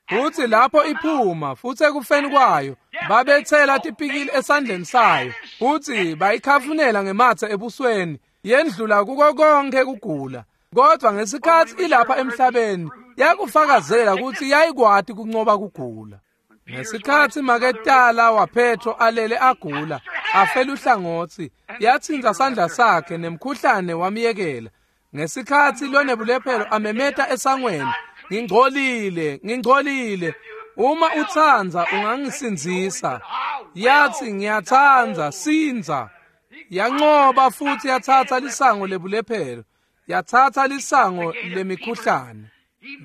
Futsi lapho iphuma, futsi ekufeni kwayo babetsela tipikili esandleni sayo, futsi bayikhafunela ngematse ebusweni, yendlula kuko konke kugula. Kodwa ngesikhatsi ilapha emhlabeni yakufakazela kutsi yayikwati kunqoba kugula. Ngesikhatsi maketala waPetro alele agula, afela uhlangotsi, yatsintsa sandla sakhe nemkhuhlane wamyekela. Ngesikhatsi lonebulephelo amemeta esangweni, ngingcolile, ngingcolile, uma utsandza ungangisindzisa. Yathi ngiyatsandza, sindza. Yanqoba futhi yatsatsa lisango lebulephelo, yatsatsa lisango lemikhuhlane.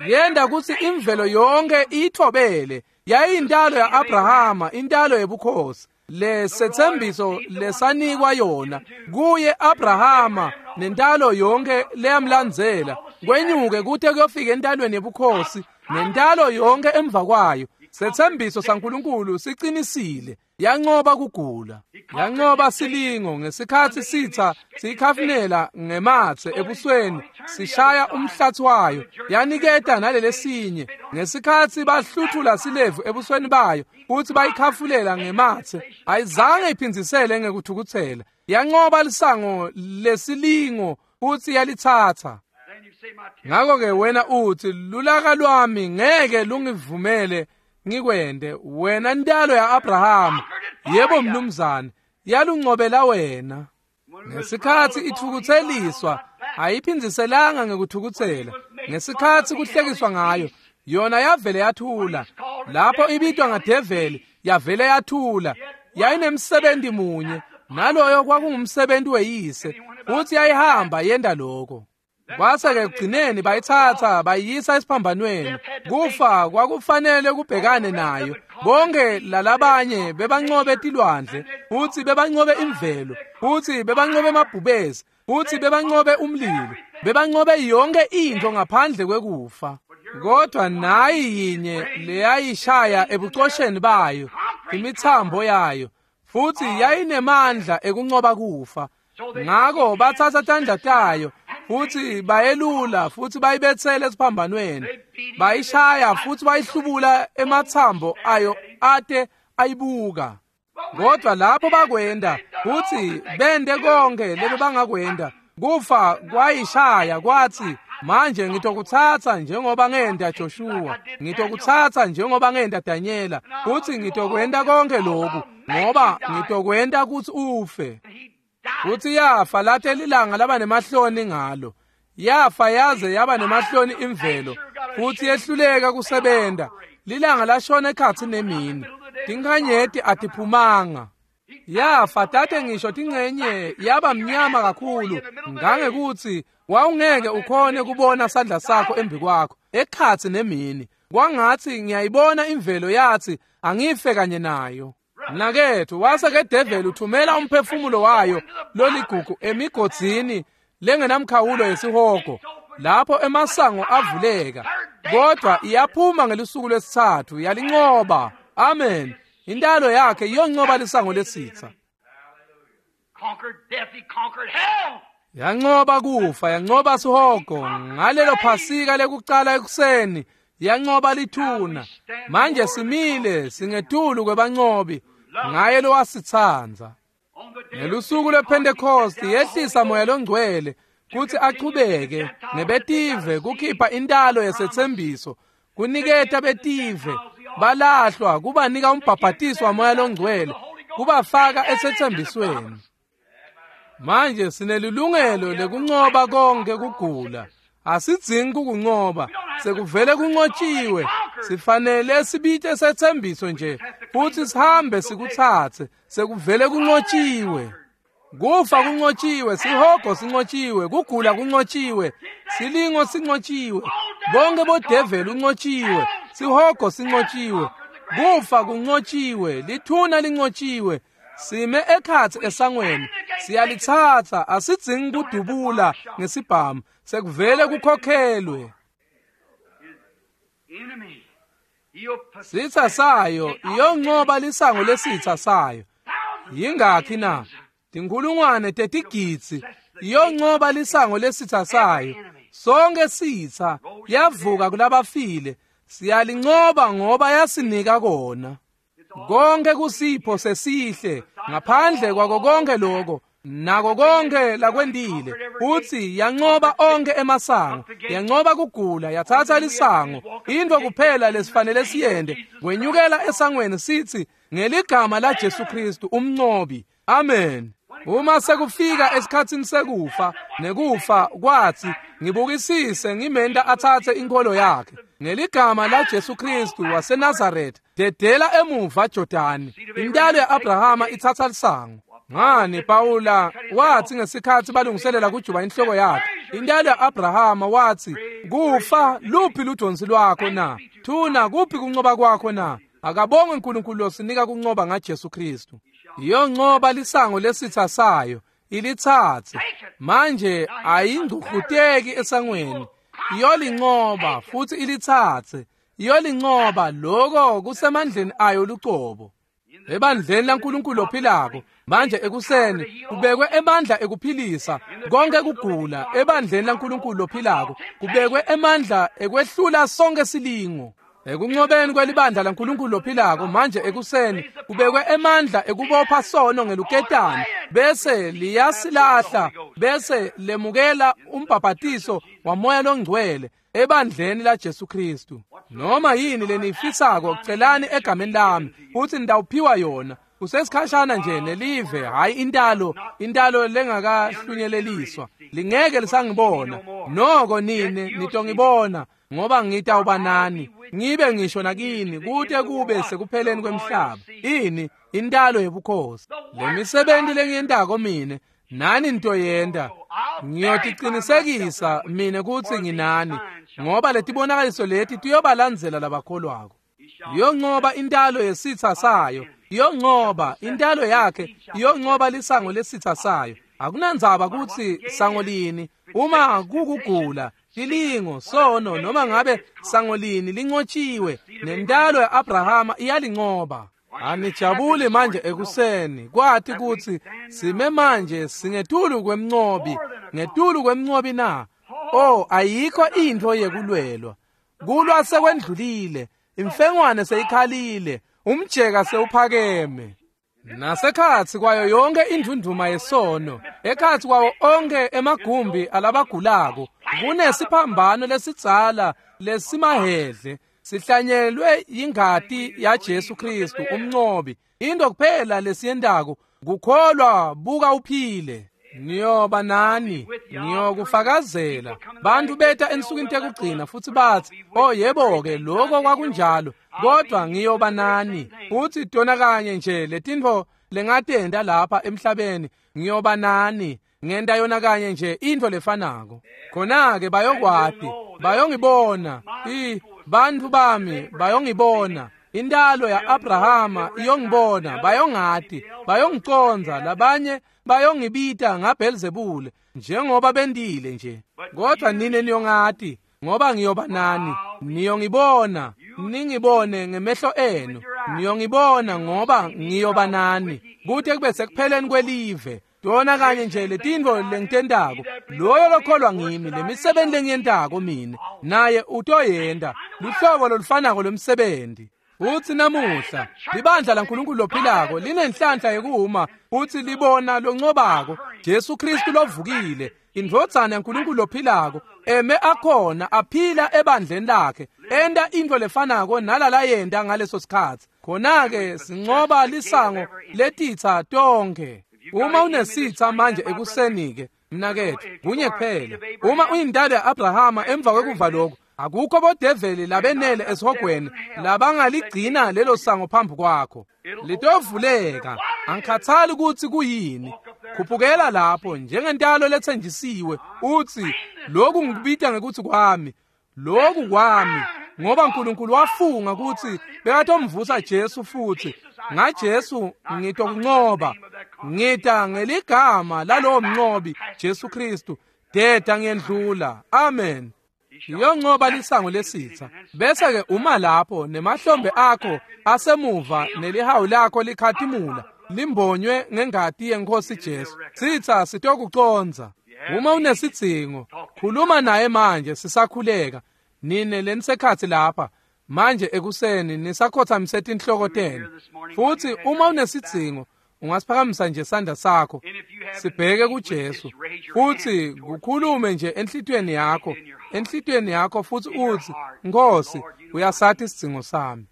Yenda kutsi imvelo yonke iyithobele. Yayintalo ya-Abrahama, intalo yebukhosi, lesetsembiso lesanikwa yona kuye Abrahama nentalo yonke leyamlandzela, kwenyuke kute kuyofika entalweni yebukhosi nentalo yonke emva kwayo. Setsembiso saNkulunkulu siqinisile. Yanqoba kugula, yanqoba silingo ngesikhatsi sitha siyikhafunela ngematse ebusweni, sishaya umhlatsi wayo, yaniketa nalelesinye. Ngesikhatsi bahluthula silevu ebusweni bayo futhi bayikhafulela ngematse, ayizange iphindzisele ngekuthukuthela. Yanqoba lisango lesilingo futhi yalitsatsa. Ngakho-ke wena uthi, lulaka lwami ngeke lungivumele ngikwende. Wena ntalo ya-Abrahama, yebo mnumzane, yalunqobela wena. Ngesikhatsi ithukutseliswa, ayiphindziselanga ngekuthukutsela. Ngesikhatsi kuhlekiswa ngayo, yona yavele yathula. Lapho ibitwa ngadeveli, yavele yathula. Yayinemsebenzi munye, naloyo kwakungumsebenzi weyise, futhi yayihamba yenda lokho. Kwase-ke ekugcineni bayitsatsa bayiyisa esiphambanweni. Kufa kwakufanele kubhekane nayo. Bonke lalabanye bebanqobe tilwandle, futhi bebanqobe imvelo, futhi bebanqobe amabhubesi, futhi bebanqobe umlilo, bebanqobe yonke into ngaphandle kwekufa. Kodwa nayi yinye leyayishaya ebucosheni bayo, imithambo yayo, futhi yayinemandla ekunqoba kufa. Ngakho bathatha tandla tayo futhi bayelula futhi bayibethele esiphambanweni, bayishaya futhi bayihlubula emathambo ayo ate ayibuka. Kodwa lapho bakwenda futhi bende konke lebe bangakwenda, kufa kwayishaya kwathi, manje ngitokuthatha njengoba ngenda Joshua, ngitokuthatha njengoba ngenda Daniela, futhi ngitokwenda konke lokhu ngoba ngitokwenda ukuthi ufe. Futhi yafa late lilanga laba nemahloni ngalo. Yafa yaze yaba nemahloni imvelo, futhi yehluleka kusebenta. Lilanga lashona ekhatsi nemini, tinkhanyeti atiphumanga. Yafa tate ngisho tincenye yaba mnyama kakhulu ngangekuthi wawungeke ukhone kubona sandla sakho embi kwakho ekhatsi nemini. Kwangathi ngiyayibona imvelo yathi angife kanye nayo. Mnaketfu, wase ke devil uthumela umphefumulo wayo loligugu emigodzini lengenamkhawulo yesihogo, lapho emasango avuleka, kodwa iyaphuma ngelusuku lwesithathu yalinqoba. Amen. Intalo yakhe iyonqoba lisango lesitha. Yanqoba kufa, yanqoba sihogo ngalelo Phasika lekucala ekuseni, yanqoba lithuna. Manje simile singetulu kwebanqobi ngaye lowasithandza. Ngelusuku lwePhentekoste yehlisa moya longcwele kutsi achubeke nebetive kukhipha intalo yesethembiso, kuniketa betive balahlwa, kubanika umbhabhatiso wamoya longcwele, kubafaka esethembisweni. Manje sinelilungelo lekunqoba konke kugula. Asidzingi kukunqoba, sekuvele kunqotshiwe. Sifanele sibite sethembiso nje futhi sihambe sikutsatse, sekuvele kunqotshiwe. Kufa kunqotshiwe, sihogo sinqotshiwe, kugula kunqotshiwe, silingo sinqotshiwe, bonke bodeveli unqotshiwe, sihogo sinqotshiwe, kufa kunqotshiwe, lithuna linqotshiwe. Sime ekhatsi esangweni, siyalitsatsa, asidzingi kudubula ngesibhamu, sekuvele kukhokhelwe. Sitha sayo iyonqoba lisango lesitha sayo. Yingakhi na? Tinkhulungwane tetigidzi iyonqoba lisango lesitha sayo. Sonke sitha yavuka kulabafile, siyalinqoba ngoba yasinika kona. Konke kusipho sesihle, ngaphandle kwako konke lokho nako konke lakwendile. Uthi yanqoba onke emasango, yanqoba kugula, yathatha lisango. Into kuphela lesifanele siyende kwenyukela esangweni sithi ngeligama la Jesu Kristu umnqobi. Amen. Uma sekufika esikhatsini sekufa, nekufa kwathi ngibukisise ngimenta athathe inkolo yakhe ngeligama la Jesu Kristu waseNazaretha, dedela emuva Jordani. Intalo yaAbrahama ithatha lisango. Ngani Paula wathi ngesikhathi balungiselela kujuba inhloko yakhe, intalo yaAbrahama wathi, kufa luphi ludonsi lwakho na? Thuna kuphi kunqoba kwakho na? Akabongwe uNkulunkulu losinika kunqoba ngaJesu Kristu. Iyonqoba lisango lesitha sayo, ilitsatse. Manje ayingcuhluteki esangweni, iyolinqoba futhi ilitsatse. Iyolinqoba, lokho kusemandleni ayo lucobo. Ebandleni laNkulunkulu ophilako manje ekuseni kubekwe emandla ekuphilisa konke kugula. Ebandleni laNkulunkulu ophilako kubekwe emandla ekwehlula sonke silingo. Ekunqobeni kwelibandla laNkulunkulu ophilako manje ekuseni kubekwe emandla ekubopha sono ngeluketane, bese liyasilahla, bese lemukela umbhabhatiso wamoya longcwele ebandleni la Jesu Kristu. Noma yini lenifisako celani egameni lami futhi nitawuphiwa yona. Usesikhashana nje nelive, hayi intalo, intalo lengakahlunyeleliswa, lingeke lisangibona. Noko nine nitongibona, ngoba ngitawuba nani, ngibe ngisho nakini kute kube sekupheleni kwemhlaba. Ini intalo yebukhosi. Lemisebenzi lengiyentako mine nani nitoyenta. Ngiyotiqinisekisa mine kutsi nginani, ngoba letibonakaliso leti tiyobalandzela labakholwako. Iyonqoba intalo yesitha sayo, iyonqoba intalo yakhe, iyonqoba lisango lesitha sayo. Akunandzaba kutsi sango lini, uma kukugula, tilingo, sono, noma ngabe sango lini linqotshiwe, nentalo yaAbrahama iyalinqoba. Anijabuli manje ekuseni kwathi kutsi sime manje singetulu kwemnqobi, ngetulu kwemnqobi na? Oh, ayikho intfo yekulwelwa. Kulwa sekwendlulile, imfengwane seyikhalile, umjeka sewuphakeme. Nasekhatsi kwayo yonke indvundvuma yesono, ekhatsi kwawo onke emagumbi alabagulako, kunesiphambano lesidzala lesimahedle, sihlanyelwe ingati yaJesu Kristu umnqobi. Into kuphela lesiyentako kukholwa, buka uphile. Niyoba nani, ngiyokufakazela. Bantu beta ensukwini tekugcina futhi bathi, "Oh yebo-ke, lokho kwakunjalo, kodwa ngiyoba nani." Futhi tona kanye nje letintfo lengatenda lapha emhlabeni, ngiyoba nani. Ngenta yona kanye nje into lefanako. Khona-ke bayokwati, bayongibona. Bantu bami bayongibona. Intalo ya-Abrahama iyongibona, bayongati, bayongiconza, labanye bayongibita ngaBhelzebule njengoba bendile nje. Kodwa nine niyongati, ngoba ngiyoba nani. Niyongibona, ningibone ngemehlo enu. Niyongibona ngoba ngiyoba nani, kute kube sekupheleni kwelive. Tona kanye nje letintfo lengitentako, loyo lokholwa ngimi, lemisebenti lengiyentako mine, naye utoyenta, luhlobo lolufanako lwemsebenti. Futsi namuhla libandla laNkulunkulu lophilako linenhlanhla yekuma futsi libona loncobako Jesu Kristu lovukile, indvodzana yaNkulunkulu lophilako, eme akhona aphila ebandleni lakhe, enta intfo lefanako nalalayenta ngaleso sikhatsi. Khona-ke sincoba lisango letitsa tonkhe. Uma unesitsa manje ekuseni-ke, mnaketfu, kunye kuphela. Uma uyintalo ya-Abrahama emva kwekuva lokhu, akukho bodeveli labenele esihogweni labangaligcina lelo sango phambi kwakho. Litovuleka, angikhathali ukuthi kuyini. Khuphukela lapho njengentalo lethenjisiwe, uthi, "Lokhu ngikubita ngekuthi kwami, lokhu kwami," ngoba uNkulunkulu wafunga ukuthi bekatomvusa Jesu futhi ngaJesu ngitokuncoba. Ngita ngeligama lalowo mncobi Jesu Kristu, deda ngiyendlula. Amen. Iyoncoba lisango lesitha. Bese-ke uma lapho nemahlombe akho asemuva nelihawu lakho likhatimula limbonywe ngengati yeNkosi Jesu, sitha sitokuconza. Uma unesidzingo, khuluma naye manje sisakhuleka. Nine lenisekhatsi lapha manje ekuseni nisakhothamise tinhloko tenu. Futhi uma unesidzingo, ungasiphakamisa nje sandla sakho sibheke kuJesu, futhi kukhulume nje enhlitiyweni yakho, enhlitiyweni yakho, futhi uthi, "Nkosi, uyasathi isidzingo sami."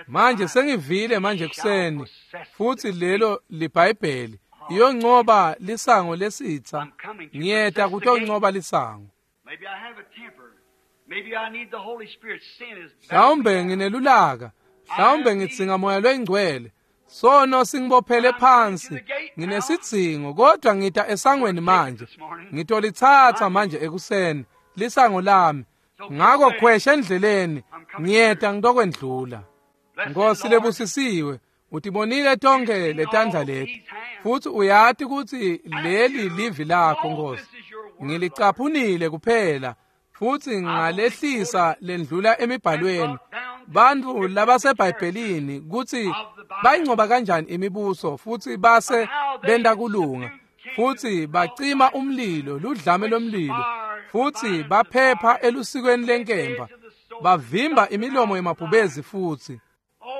Manje sengivile manje kuseni, futhi lelo liBhayibheli, iyoncoba lisango lesitha. Ngiyeta kutoncoba lisango. Mhlawumbe nginelulaka, mhlawumbe ngidzinga moya loyingcwele. Sono singibophele phansi, nginesidzingo, kodwa ngita esangweni manje. Ngitolitsatsa manje ekuseni lisango lami. Ngako khwesha endleleni, ngiyeta ngitokwendlula. Nkosi lebusisiwe, utibonile tonke letandla leti, futhi uyati ukuthi leli livi lakho, Nkosi. Ngilicaphunile kuphela futhi ngalehlisa lendlula emibhalweni bantfu labaseBhayibhelini kutsi bayincoba kanjani imibuso futhi base benta kulunga futhi bacima umlilo, ludlame lomlilo, futhi baphepha elusikweni lenkemba, bavimba imilomo yemabhubezi futhi.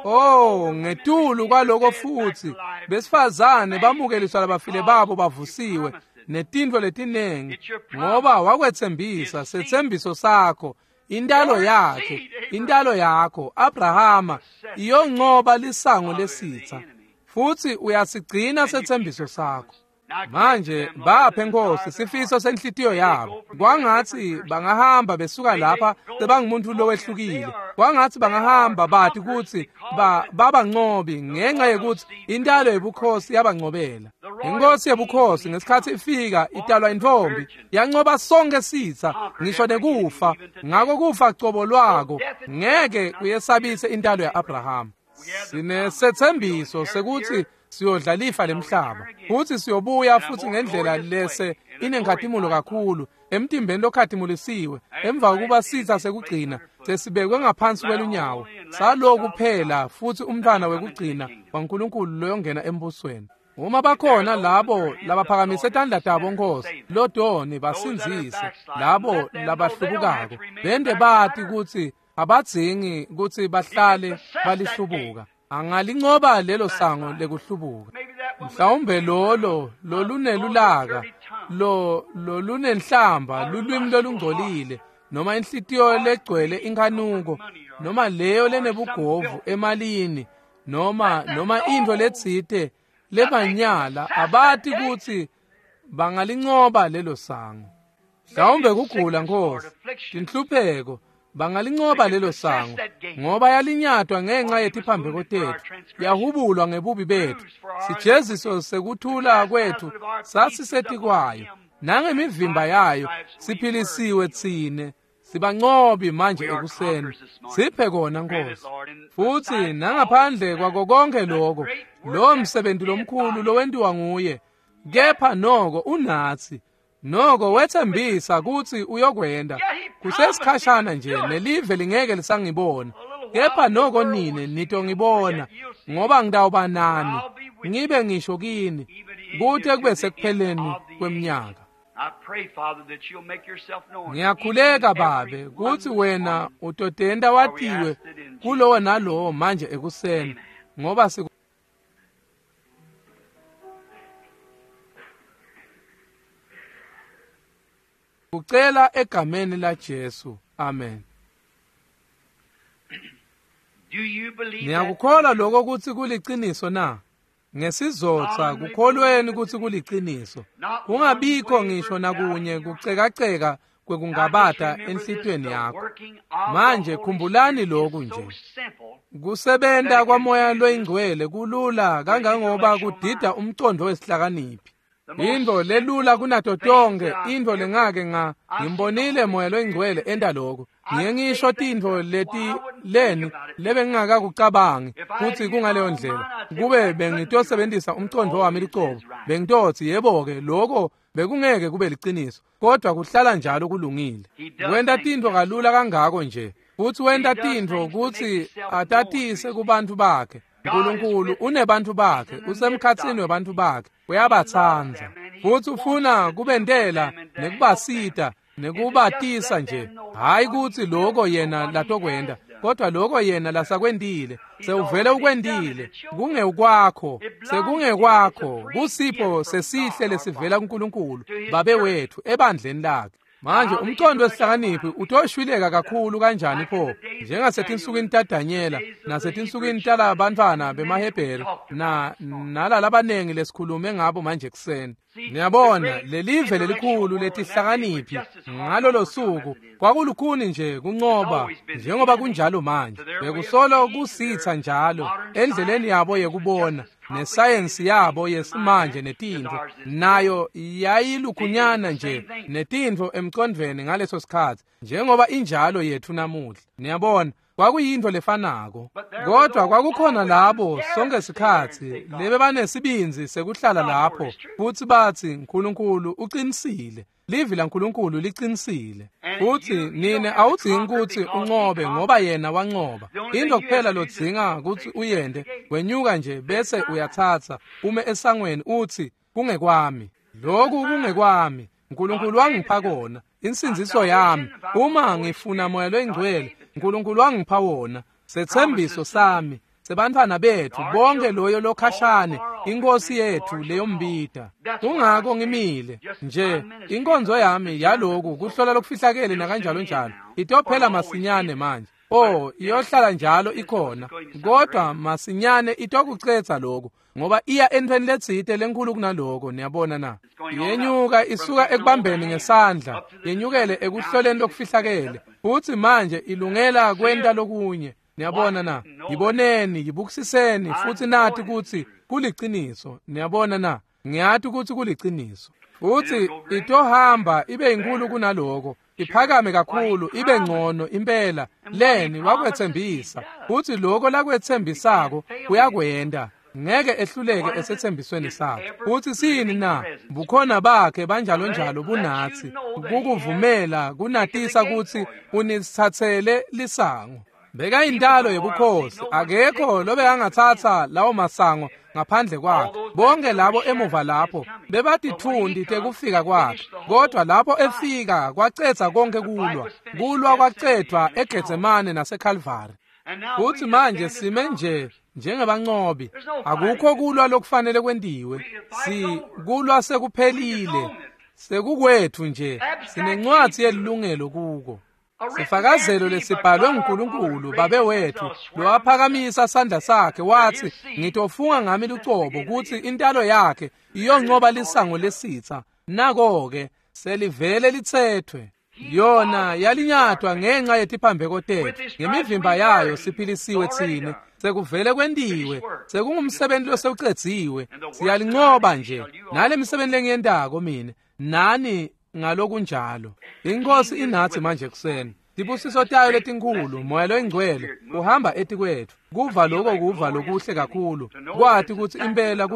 Oh, ngetulu kwaloko futhi besifazane bamukeliswa labafile babo bavusiwe netintfo letinengi, ngoba wakwetsembisa setsembiso sakho, intalo yakhe, intalo yakho Abrahama iyoncoba lisango lesitha, futhi uyasigcina setsembiso sakho. Manje baphe Nkosi sifiso senhlitiyo yabo, kwangathi bangahamba besuka lapha sebangumuntu lowehlukile, kwangathi bangahamba bathi kutsi babancobi ngenxa yekuthi intalo yebukhosi yabancobela. Inkosi yebukhosi ngesikhathi ifika italwa intfombi, yancoba sonke sitha ngisho nekufa. Ngako kufa cobo lwako ngeke kuyesabise intalo ya-Abrahama. Sinesetsembiso sekuthi siyodla lifa lemhlaba, futhi siyobuya futhi ngendlela lese inenkhatimulo kakhulu emtimbeni lokhatimulisiwe, emva kokuba sitha sekugcina sesibekwe ngaphansi kwelunyawo saloku kuphela, futhi umntwana wekugcina waNkulunkulu loyongena embusweni. Uma bakhona labo labaphakamise tandla tabo, Nkosi, lodoni basindzise labo labahlubukako, bende bati kutsi abadzingi kutsi bahlale balihlubuka. Angalincoba lelo sango lekuhlubuka. Mhlawumbe lolo lolunelulaka, lo lolunenhlamba, lulwimi lolungcolile, noma inhlitiyo legcwele inkhanuko, noma leyo lenebugovu emalini, noma intfo letsite lebanyala abati kutsi bangalincoba lelo sango. Mhlawumbe kugula Nkosi, tinhlupheko, bangalincoba lelo sango, ngoba yalinyatwa ngenxa yetiphambeko tetfu, yahubulwa ngebubi betfu. Sijeziso sekuthula kwetfu sasisetikwayo, nangemivimba yayo siphilisiwe tsine. Sibancobi manje ekuseni, siphe kona Nkosi. Futsi nangaphandle kwako konke lokho, lo msebenzi lomkhulu lowentiwa nguye, kepha noko unatsi. Noko wethembisa kutsi uyokwenda. Kusesikhashana nje nelive lingeke lisangibona, kepha noko nine nitongibona, ngoba ngitawuba nani, ngibe ngisho kini, kute kube sekupheleni kweminyaka. Ngiyakhuleka Babe kutsi wena utotenta watiwe kulowo nalowo manje ekuseni, ngoba sikucela egameni la Jesu. Amen. Niyakukholwa lokho kutsi kuliciniso na? Ngesizotsa kukholweni kutsi kuliciniso. Kungabikho ngisho nakunye kucekaceka kwekungabata enhlitiyweni yakho. Manje khumbulani lokhu nje. Kusebenta kwaMoya loyiNgcwele kulula kangangoba kudida umcondo wesihlakaniphi. Into lelula kunato tonke, into lengake ngimbonile Moya loyiNgcwele enta lokho. Ngiye ngisho tintfo leti leni lebengingakakucabangi kutsi kungaleyo ndlela. Kube bengitosebenzisa umcondo wami lucobo, bengitotsi yebo-ke lokho bekungeke kube liciniso, kodwa kuhlala njalo kulungile. Wenta tintfo kalula kangako nje, futsi wenta tintfo kutsi atatise kubantfu bakhe. Nkulunkulu unebantfu bakhe, usemkhatsini webantfu bakhe, uyabatsandza. Futsi ufuna kubentela nekubasita nekubatisa nje, hayi kutsi lokho yena latokwenta, kodwa lokho yena lasakwentile, sewuvele ukwentile, kungekwakho, sekungekwakho, kusipho sesihle lesivela kuNkulunkulu Babe wethu ebandleni lakhe. Manje umcondo wesihlakaniphi utoshwileka kakhulu kanjani pho, njengasetinsukwini taDanyela nasetinsukwini talabantfwana bemaHebheru na nalalabanengi lesikhulume ngabo manje ekuseni. Niyabona, lelive lelikhulu letihlakaniphi ngalolo suku kwakulukhuni nje kuncoba njengoba kunjalo manje. Bekusolo kusitsa njalo endleleni yabo yekubona nesayensi yabo yesimanje netintfo, nayo yayilukhunyana nje netintfo emcondvweni ngaleso sikhatsi njengoba injalo yethu namuhla. Niyabona, kwakuyintfo lefanako, kodwa kwakukhona labo sonke sikhatsi lebebanesibindzi sekuhlala lapho futsi batsi Nkulunkulu uqinisile, livi laNkulunkulu liqinisile. Futsi nine awudzingi kutsi uncobe ngoba yena wancoba. Into kuphela lodzinga kutsi uyente, wenyuka nje bese uyatsatsa ume esangweni utsi kungekwami, lokhu kungekwami, Nkulunkulu wangipha kona, insindziso yami. Uma ngifuna Moya loyiNgcwele, Nkulunkulu wangipha wona, setsembiso sami sebantfwana bethu bonke loyo lokhashane, inkosi yethu leyombita. Kungako ngimile nje, inkonzo yami yaloku kuhlola lokufihlakele nakanjalo njalo itophela masinyane manje. Oh, iyohlala njalo ikhona, kodwa masinyane itokucetsa lokhu, ngoba iya entweni letsite lenkulu kunaloko. Niyabona na? Yenyuka isuka ekubambeni ngesandla, yenyukele ekuhloleni lokufihlakele, futsi manje ilungela kwenta lokunye. Niyabona na? Yiboneni, yibukisiseni, futsi nati kutsi kuliciniso. Niyabona na? Ngiyati kutsi kuliciniso. Futsi itohamba ibe inkulu kunaloko, iphakame kakhulu, ibe ngcono impela. Leni wakwetsembisa, futsi lokho lakwetsembisako uyakwenta. Ngeke ehluleke esethembisweni sakhe. Futsi sini na? Bukhona bakhe banjalo njalo bunatsi, kukuvumela kunatisa kutsi unitsatsele lisango. Beka intalo yebukhosi, akekho lobekangatsatsa lawo masango ngaphandle kwakhe. Bonke labo emuva lapho bebatitfundi tekufika kwakhe, kodwa lapho efika kwacetsa konke kulwa. Kulwa kwacedvwa eGetsemane naseKalvari. Futsi manje sime nje njengebancobi, akukho kulwa lokufanele kwentiwe. Si kulwa sekuphelile, sekukwethu nje, sinencwadzi yelilungelo kuko. Sifakazelo lesibhalwe nguNkulunkulu Babe wethu lowaphakamisa sandla sakhe wathi, ngitofunga ngami lucobo kutsi intalo yakhe iyoncoba lisango lesitha. Nako-ke selivele litsethwe. Yona yalinyatwa ngenxa yetiphambeko tetfu, ngemivimba yayo siphilisiwe tsine. Sekuvele kwentiwe, sekungumsebenzi losewucedziwe. Siyalincoba nje nale misebenzi lengiyentako mine nani ngalokunjalo. Inkosi inathi manje ekuseni. Tibusiso tayo letinkhulu, Moya loyingcwele uhamba etikwetfu. Kuva lokho kuva lokuhle kakhulu, kwati kutsi impela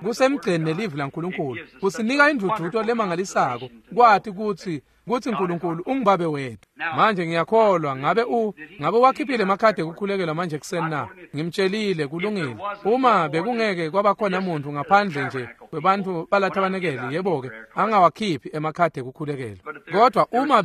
kusemgceni nelivi laNkulunkulu. Kusinika indvudvuto lemangalisako, kwati kutsi uNkulunkulu ungubabe wethu. Manje ngiyakholwa ngabe wakhiphile emakhadi ekukhulekelwa manje ekuseni na? Ngimtshelile kulungile. Uma bekungeke kwabakhona muntu ngaphandle nje kwebantfu balathabanekeli, yebo-ke angawakhiphi emakhadi ekukhulekelwa. Kodwa uma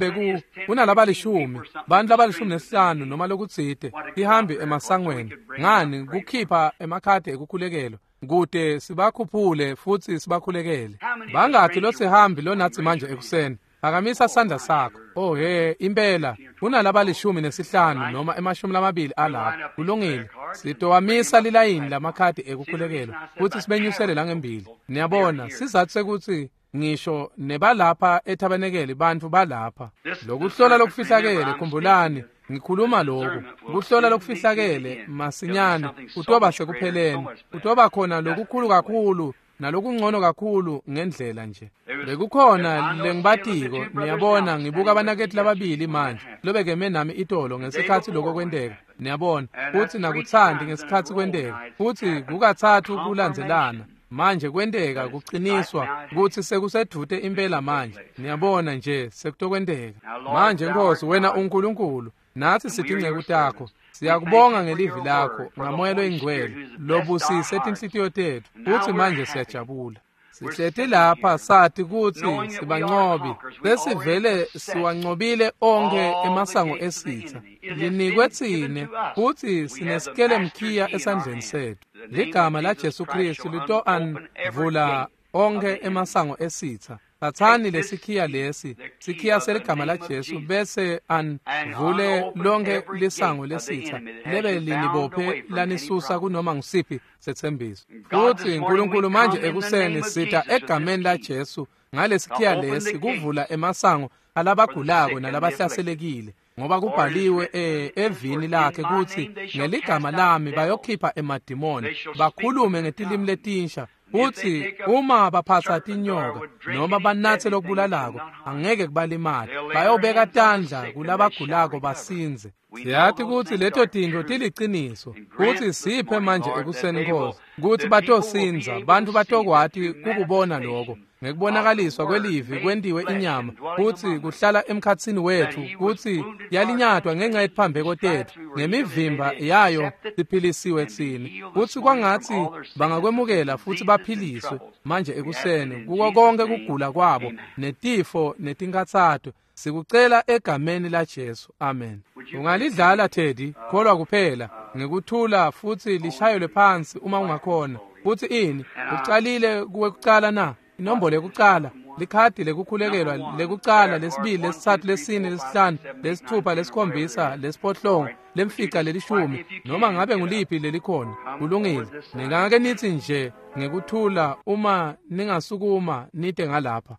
kunalabalishumi, bantfu labalishumi nesihlanu noma lokutsite tihambi emasangweni, ngani kukhipha emakhadi ekukhulekelwa kute sibakhuphule futsi sibakhulekele. Bangakhi losihambi lonathi manje ekuseni? Phakamisa sandla sakho. Oh he, impela kunalabalishumi nesihlanu noma 20 alapha. Kulungile. Sitowamisa lilayini lamakhadi ekukhulekelwa futsi sibenyusele langembili. Niyabona, sizathu sekuthi ngisho nebalapha ethabanekeli bantfu balapha. Lokuhlola lokufihlakele, khumbulani, ngikhuluma lokhu. Kuhlola lokufihlakele masinyane kutoba sekupheleni. Kutoba khona lokukhulu kakhulu nalokungcono kakhulu ngendlela nje. Bekukhona lengibatiko, niyabona, ngibuka abanakethu lababili manje lobekeme nami itolo ngesikhatsi lokho kwenteka. Niyabona, futhi nakuthandi ngesikhatsi kwenteka, futhi kukathathu kulandzelana. Manje kwenteka kuqiniswa kutsi sekusedvute impela manje. Niyabona nje sekutokwenteka. Manje Nkosi, wena uNkulunkulu, nathi sitinceku takho. Siyakubonga ngelivi lakho ngaMoya loyingcwele lobusise tinhlitiyo tetfu, futsi manje siyajabula. Sihleti lapha sathi kutsi sibancobi, sesivele siwancobile onkhe emasango esitha. Linikwe tsine futsi sinesikelemkhiya esandleni setfu. Ligama la Jesu Kristu litoanvula onkhe emasango esitha. Thathani lesikhiya lesi, sikhiya seligama la Jesu, bese anvule lonke lisango lesitha lebe linibophe lanisusa kunoma ngusiphi setsembiso. Futsi uNkulunkulu manje ekuseni sita egameni la Jesu ngalesikhiya lesi kuvula emasango alabagulako nalabahlaselekile, ngoba kubhaliwe evini lakhe kutsi ngeligama lami bayokhipha emadimoni, bakhulume ngetilimi letinsha. Futsi uma baphatsa tinyoka noma banatse lokubulalako angeke kubalimate, bayobeka tandla kulabagulako basinze. Siyathi kutsi leto tintfo tiliciniso, kutsi siphe manje ekuseni Nkosi kutsi batosindza, bantfu batokwati kukubona lokho ngekubonakaliswa kwelivi kwentiwe inyama, kutsi kuhlala emkhatsini wetfu, kutsi yalinyatwa ngenxa yetiphambeko tetfu, ngemivimba yayo siphilisiwe tsine. Kutsi kwangatsi bangakwemukela futsi baphiliswe manje ekuseni kuko konke kugula kwabo netifo netinkhatsato. Sikucela egameni la Jesu, amen. Ungalidlala Teddy, kholwa kuphela ngekuthula futsi lishayelwe phansi uma ungakhona. Futsi ini ucalile kuwe kucala na? Inombolo yekucala, likhadi lekukhulekelwa lekucala, lesibili, lesitsatfu, lesine, lesihlanu, lesithupha, lesikhombisa, lesiphohlongo, lemfica, lelishumi, noma ngabe nguliphi lelikhona. Kulungile. Ningake nithi nje ngekuthula uma ningasukuma nite ngalapha.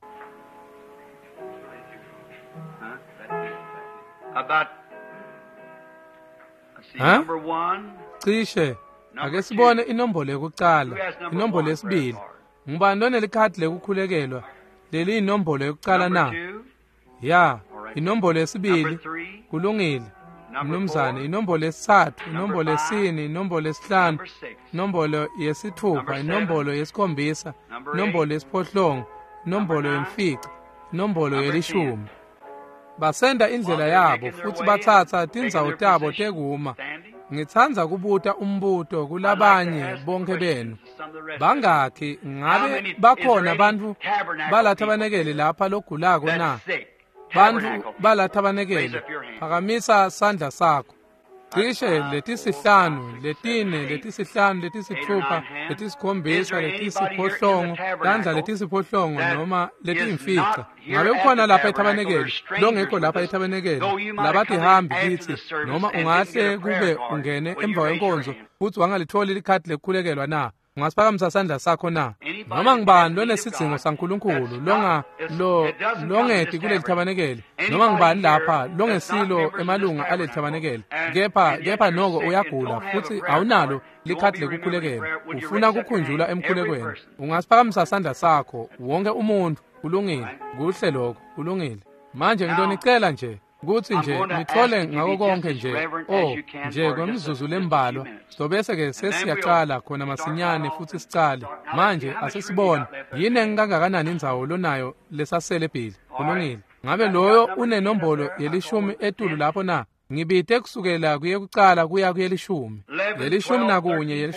Cishe ake sibone inombolo yekucala, inombolo yesibili. Ngubani lonelikhadi lekukhulekelwa leli inombolo yokucala na? Ya, inombolo yesibili. Kulungile mnumzane. Inombolo yesithathu, inombolo yesine, inombolo yesihlanu, inombolo yesithupha, inombolo yesikhombisa, inombolo yesiphohlongo, inombolo yemfica, inombolo yelishumi. Basenda indlela yabo futsi batsatsa tindzawo tabo tekuma. Ngitsandza kubuta umbuto kulabanye bonke benu. Bangakhi ngabe bakhona bantfu balathabanekele lapha logulako na? Bantfu balathabanekele, phakamisa sandla sakho. Cishe letisihlanu, letine, letisihlanu, letisitfupha, letisikhombisa, letisiphohlongo, tandla letisiphohlongo noma letiyimfica. Ngabe ukhona lapha ethabanekeli, longekho lapha ethabanekeli, labatihambi kitsi, noma ungahle kube ungene emva kwenkonzo futsi wangalitholi likhadi lekukhulekelwa na? Ungasiphakamisa sandla sakho na? Noma ngibani lonesidzingo saNkulunkulu longeti kuleli thabanekeli, noma ngibani lapha longesilo emalunga aleli thabanekeli, kepha noko uyagula futsi awunalo likhadi lekukhulekelwa, ufuna kukhunjulwa emkhulekweni, ungasiphakamisa sandla sakho. Wonke umuntu. Kulungile, kuhle lokho, kulungile. Manje ngitonicela nje kutsi nje nithole ngako konke nje, nje kwemizuzu lembalwa, sobese ke sesiyacala khona masinyane futsi sicale. Manje asesibone yini engakanani indzawo lonayo lesasele Billy. Kulungile. Ngabe loyo unenombolo yelishumi etulu lapho na? Ngibite kusukela kuyekucala kuya kuyelishumi, 11, 12,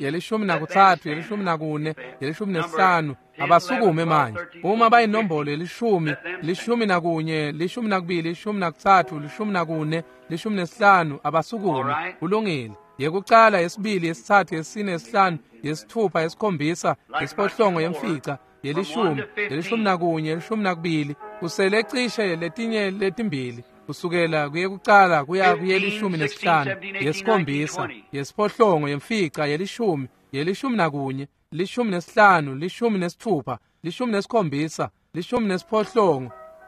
13, 14, 15. Abasukume manje. Uma bayinombolo yelishumi, 11, 12, 13, 14, 15, abasukume. Kulungile. Yekucala, yesibili, yesithathu, yesine, yesihlanu, yesithupha, yesikhombisa, yesiphohlongo, yemfica, yelishumi, 11, 12, kusele cishe letinye letimbili. Kusukela kuyekucala kuya kuyelishumi nesihlanu, yesikhombisa, yesiphohlongo, yemfica, yelishumi, 11, 15, 16, 17,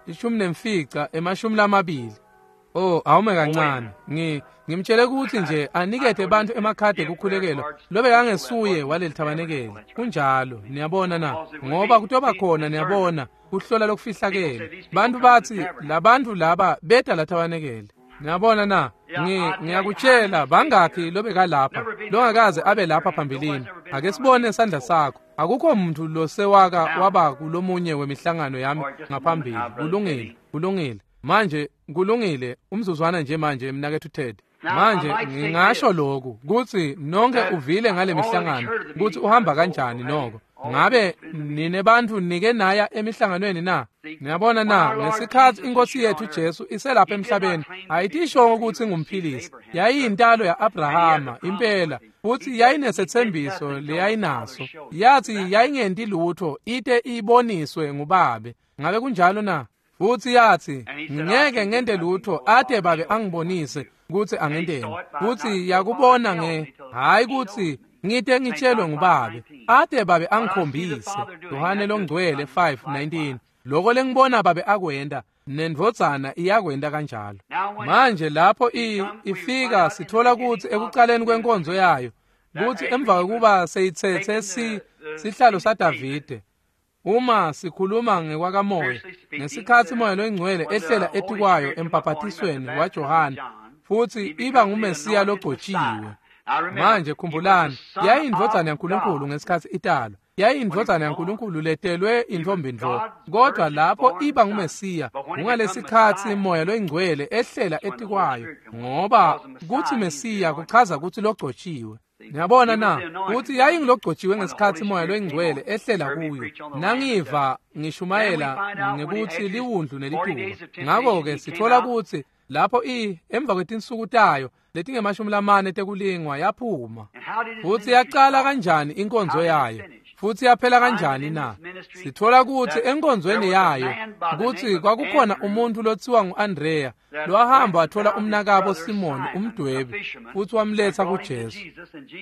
18, 15, 20. Oh, awume kancane. Ngimtshele ukuthi nje anikete bantu emakhadi ekukhulekelwa lobe kangesuye waleli thabanekeli. Kunjalo, niyabona na? Ngoba kutoba khona, niyabona, kuhlola lokufihlakele. Bantu batsi labantu laba beta la thabanekeli. Niyabona na? Ngiyakutshela bangakhi lobe kalapha longakaze abe lapha phambilini. Ake sibone sandla sakho. Akukho umuntu losewaka waba kulomunye wemihlangano yami ngaphambili. Kulungile, kulungile. Manje kulungile, umzuzwana nje manje mnaketfu Ted. Manje ngingasho lokhu kutsi nonke uvile ngale mihlangano kutsi uhamba kanjani noko. Ngabe nine bantfu nike naya emihlanganweni na? Niyabona na, ngesikhatsi inkosi yethu Jesu iselapha emhlabeni, ayitishongo ukuthi ngumphilisi. Yayiyintalo ya-Abrahama impela, futsi yayinesethembiso leyayinaso. Yathi yayingenti lutho ite iboniswe ngubabe. Ngabe kunjalo na? Futsi yathi ngeke ngente lutho ate babe angibonise kutsi angenteni. Futsi yakubona hayi kutsi ngite ngitshelwe ngubabe, ate babe angikhombise. Yohane longcwele 5:19. Loko lengibona babe akwenta, nendvodzana iyakwenta kanjalo. Manje lapho ifika sithola kutsi ekucaleni kwenkonzo yayo, kutsi emva kwekuba seyitsetse sihlalo saDavide, uma sikhuluma ngekwakamoya, ngesikhatsi moya loyingcwele ehlela etikwayo embhaphatisweni waJohane, futsi iba nguMesiya logcotshiwe. Manje khumbulani, yayiyindvodzana yaNkulunkulu ngesikhatsi italwa. Yayiyindvodzana yaNkulunkulu letelwe intfombi ntfo. Kodwa lapho iba nguMesiya, kungalesikhatsi moya loyingcwele ehlela etikwayo, ngoba kutsi Mesiya kuchaza kutsi logcotshiwe. Niyabona na kutsi yayingilogcotshiwe ngesikhatsi moya loyingcwele ehlela kuyo. Nangiva ngishumayela ngekutsi liwundlu nelituba. Ngako-ke sithola kutsi lapho emva kwetinsuku tayo letinge-40 tekulingwa yaphuma. Futsi yacala kanjani inkonzo yayo? Futsi yaphela kanjani na? Sithola kutsi enkonzweni yayo kutsi kwakukhona umuntu lotsiwa ngu-Andrea lowahamba wathola umnakabo Simoni umdwebi futsi wamletsa kuJesu.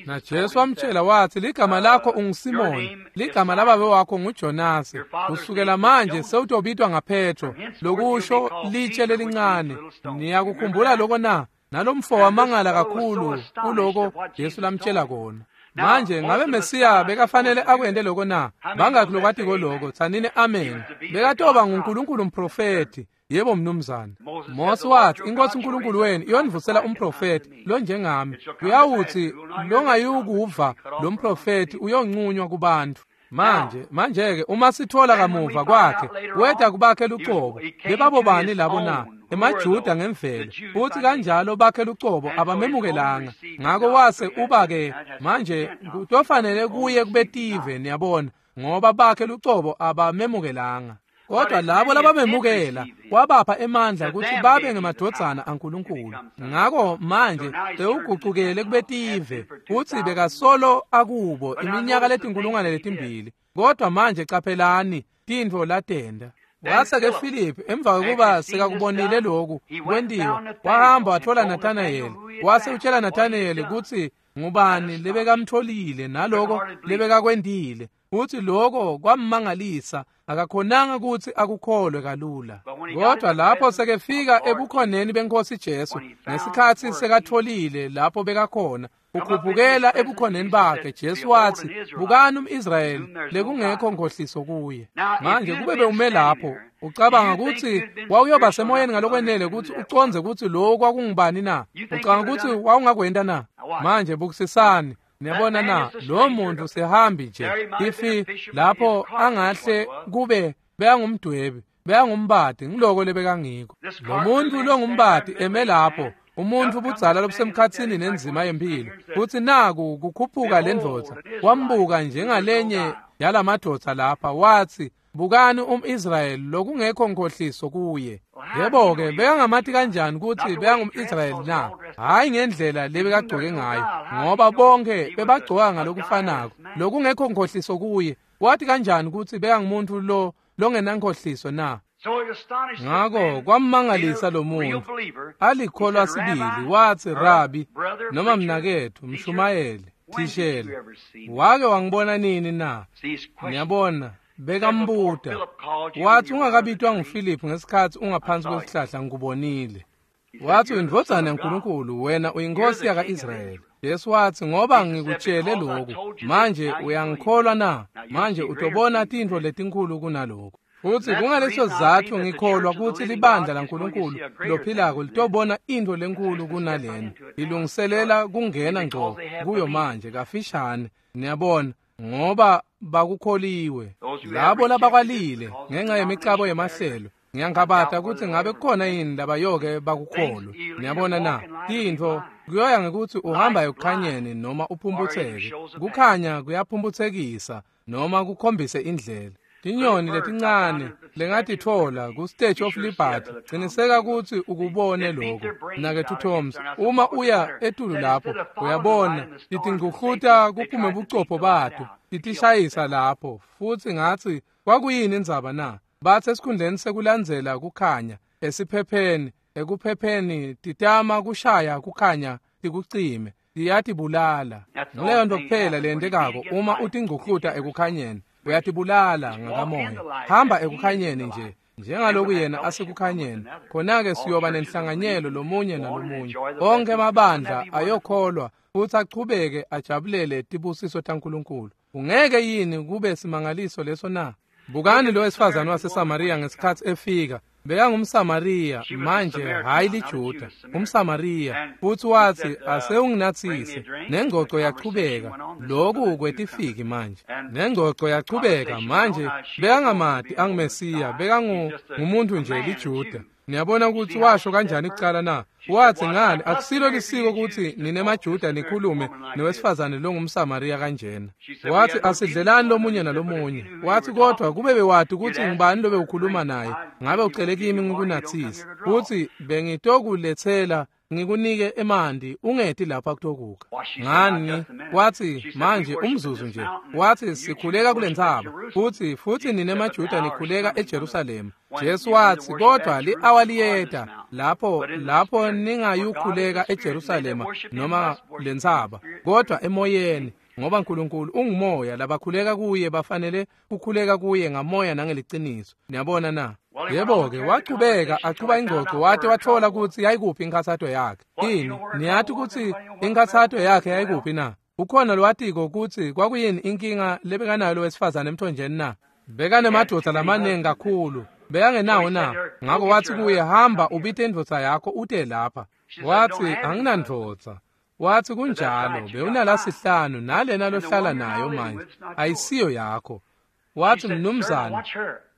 Na Jesu wamtshela wathi, ligama lakho unguSimoni, ligama lababe wakho nguJonasi. Kusukela manje sewutobitwa ngaPetro, lokusho litshe lelincane. Niyakukhumbula lokho na? Nalomfo wamangala kakhulu kuloko Jesu lamtshela kona. Manje ngabe Mesiya bekafanele akwente lokho na? Bangakhi lokwatiko lokho? Tsanini amen. Bekatoba nguNkulunkulu umprofeti. Yebo mnumzane. Mose wathi inkosi uNkulunkulu wenu iyonivusela umprofeti lonjengami. Uyawuthi longayukuva lo mprofeti uyonqunywa kubantu. Manje-ke uma sithola kamuva kwakhe weda kubakhe lucobo, bebabobani labo na? EmaJuda ngemvelo. Futhi kanjalo bakhe lucobo abamemukelanga. Ngako wase uba-ke manje kutofanele kuye kubetive, niyabona, ngoba bakhe lucobo abamemukelanga. Kodwa labo labamemukela wabapha emandla kutsi babe ngemadvodzana aNkulunkulu. Ngako manje sewugucukele kubetive futsi bekasolo akubo iminyaka letinkulungwane letimbili. Kodwa manje caphelani tintfo latenda. Wase-ke Filiphu emva kwekuba sekakubonile lokhu kwentiwa, wahamba watfola Nathanayeli. Wase utshela Nathanayeli kutsi ngubani lebekamtfolile naloko lebekakwentile. Futsi loko kwammangalisa, akakhonanga kutsi akukholwe kalula. Kodwa lapho sekefika ebukhoneni beNkhosi Jesu, ngesikhatsi sekatfolile lapho bekakhona, ukhuphukela ebukhoneni bakhe, Jesu watsi, "Bukani umIsrayeli lekungekho nkhohliso kuye." Manje kube bewume lapho, ucabanga kutsi wawuyoba semoyeni ngalokwenele kutsi ucondze kutsi lowo kwakungubani na? Ucabanga kutsi wawungakwenta na? Manje bukisisani. Niyabona na, lo muntu sihambi nje. Ifi lapho angahle kube bekangumdwebi, bekangumbati, ngiloko lebekangiko. Lo muntu longumbati eme lapho, umuntfu budzala lobusemkhatsini nenzima yemphilo. Futsi naku kukhuphuka lendvodza, wambuka njengalenye yalamadvodza lapha, watsi, "Bukani umIsrayeli lokungekho nkhohliso kuye." Yebo-ke, bekangamati kanjani kutsi bekangumIsrayeli na? Hhayi ngendlela lebekagcoke ngayo, ngoba bonke bebagcoka ngalokufanako. Lokungekho nkhohliso kuye. Wathi kanjani kutsi bekangumuntu lo longenankhohliso na? Ngako kwammangalisa lo muntu, alikholwa sibili, watsi, "Rabi, noma mnaketfu, mshumayeli, thishela, wake wangibona nini na?" Ngiyabona bekambuta. Watsi, "Ungakabitwa nguFiliphu ngesikhatsi ungaphansi kwesihlahla ngikubonile." Watsi, "Uyindvodzana yaNkulunkulu, wena uyinkosi yaka-Israyeli." Jesu watsi, "Ngoba ngikutshele lokhu, manje uyangikholwa na? Manje utobona tintfo letinkhulu kunalokhu." Futsi kungaleso sizatfu ngikholwa kutsi libandla laNkulunkulu lophilako litobona intfo lenkulu kunalena. Lilungiselela kungena ngco kuyo manje kafishane. Niyabona, ngoba bakukholiwe. Labo labakwalile ngenxa yemicabo yemahlelo, ngiyangabata kutsi ngabe kukhona yini labayoke bakukholwe. Niyabona na, tintfo kuyoya ngekutsi uhamba ekukhanyeni noma uphumputseke. Kukhanya kuyaphumphutsekisa noma kukhombise indlela. Tinyoni letincane lengatitfola ku-Statue of Liberty, ciniseka kutsi ukubone lokho. Mnaketfu Thoms, uma uya etulu lapho, uyabona titingcukluta kuphume bucopho bato, titishayisa lapho. Futsi ngatsi, kwakuyini indzaba na? Batsi esikhundleni sekulandzela kukhanya esiphepheni, ekuphepheni titama kushaya kukhanya tikucime, tiyatibulala. Nguleyo nto kuphela leyentekako uma utingcukluta ekukhanyeni. Uyatibulala ngakamoya. Hamba ekukhanyeni nje, njengaloku yena asekukhanyeni. Khona-ke siyoba nenhlanganyelo lomunye nalomunye. Onke amabandla ayokholwa futsi achubeke ajabulele tibusiso taNkulunkulu. Ungeke yini kube simangaliso leso na? Bukani lo wesifazane waseSamariya ngesikhatsi efika. BekangumSamariya, manje hhayi liJuda, umSamariya. Futsi watsi, "Asewunginatsise." Nengcoco yachubeka. Loku kwetifiki manje. Nengcoco yachubeka manje. Bekangamati anguMesiya, bekangumuntu nje liJuda. Niyabona kutsi washo kanjani kucala na? Watsi, "Ngani akusilo lisiko kutsi ninemaJuda nikhulume nowesifazane longumSamariya kanjena." Watsi, "Asidlelani lomunye nalomunye." Watsi, "Kodwa kube bewati kutsi ngubani lobe ukhuluma naye, ngabe ucele kimi ngikunatsise. Futsi bengitokuletsela ngikunike emanti, ungeti lapha kutokukha." Ngani? Watsi, "Manje umzuzu nje." Watsi, "Sikhuleka kulentsaba, futsi ninemaJuda nikhuleka eJerusalema." Jesu watsi, "Kodwa li-awa liyeta lapho ningayukhuleka eJerusalema noma lentsaba, kodwa emoyeni, ngoba Nkulunkulu ungumoya, labakhuleka kuye bafanele kukhuleka kuye ngamoya nangeliciniso." Niyabona na? Yebo-ke, wachubeka achuba ingcoco wate watfola kutsi yayikuphi inkhatsato yakhe. Ini, niyati kutsi inkhatsato yakhe yayikuphi na? Ukhona lowatiko kutsi kwakuyini inkinga lebekanayo lowesifazane emthonjeni na? Bekanemadvodza lamaningi kakhulu. Bekangenawo na? Ngako watsi kuye, "Hamba ubite indvodza yakho ute lapha." Watsi, "Anginandvodza." Watsi, "Kunjalo, bewunalasihlanu nalena lohlala nayo manje ayisiyo yakho." Watsi, "Mnumzane,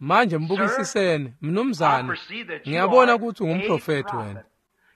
manje mbukisiseni, mnumzane, ngiyabona kutsi ungumprofethi wena.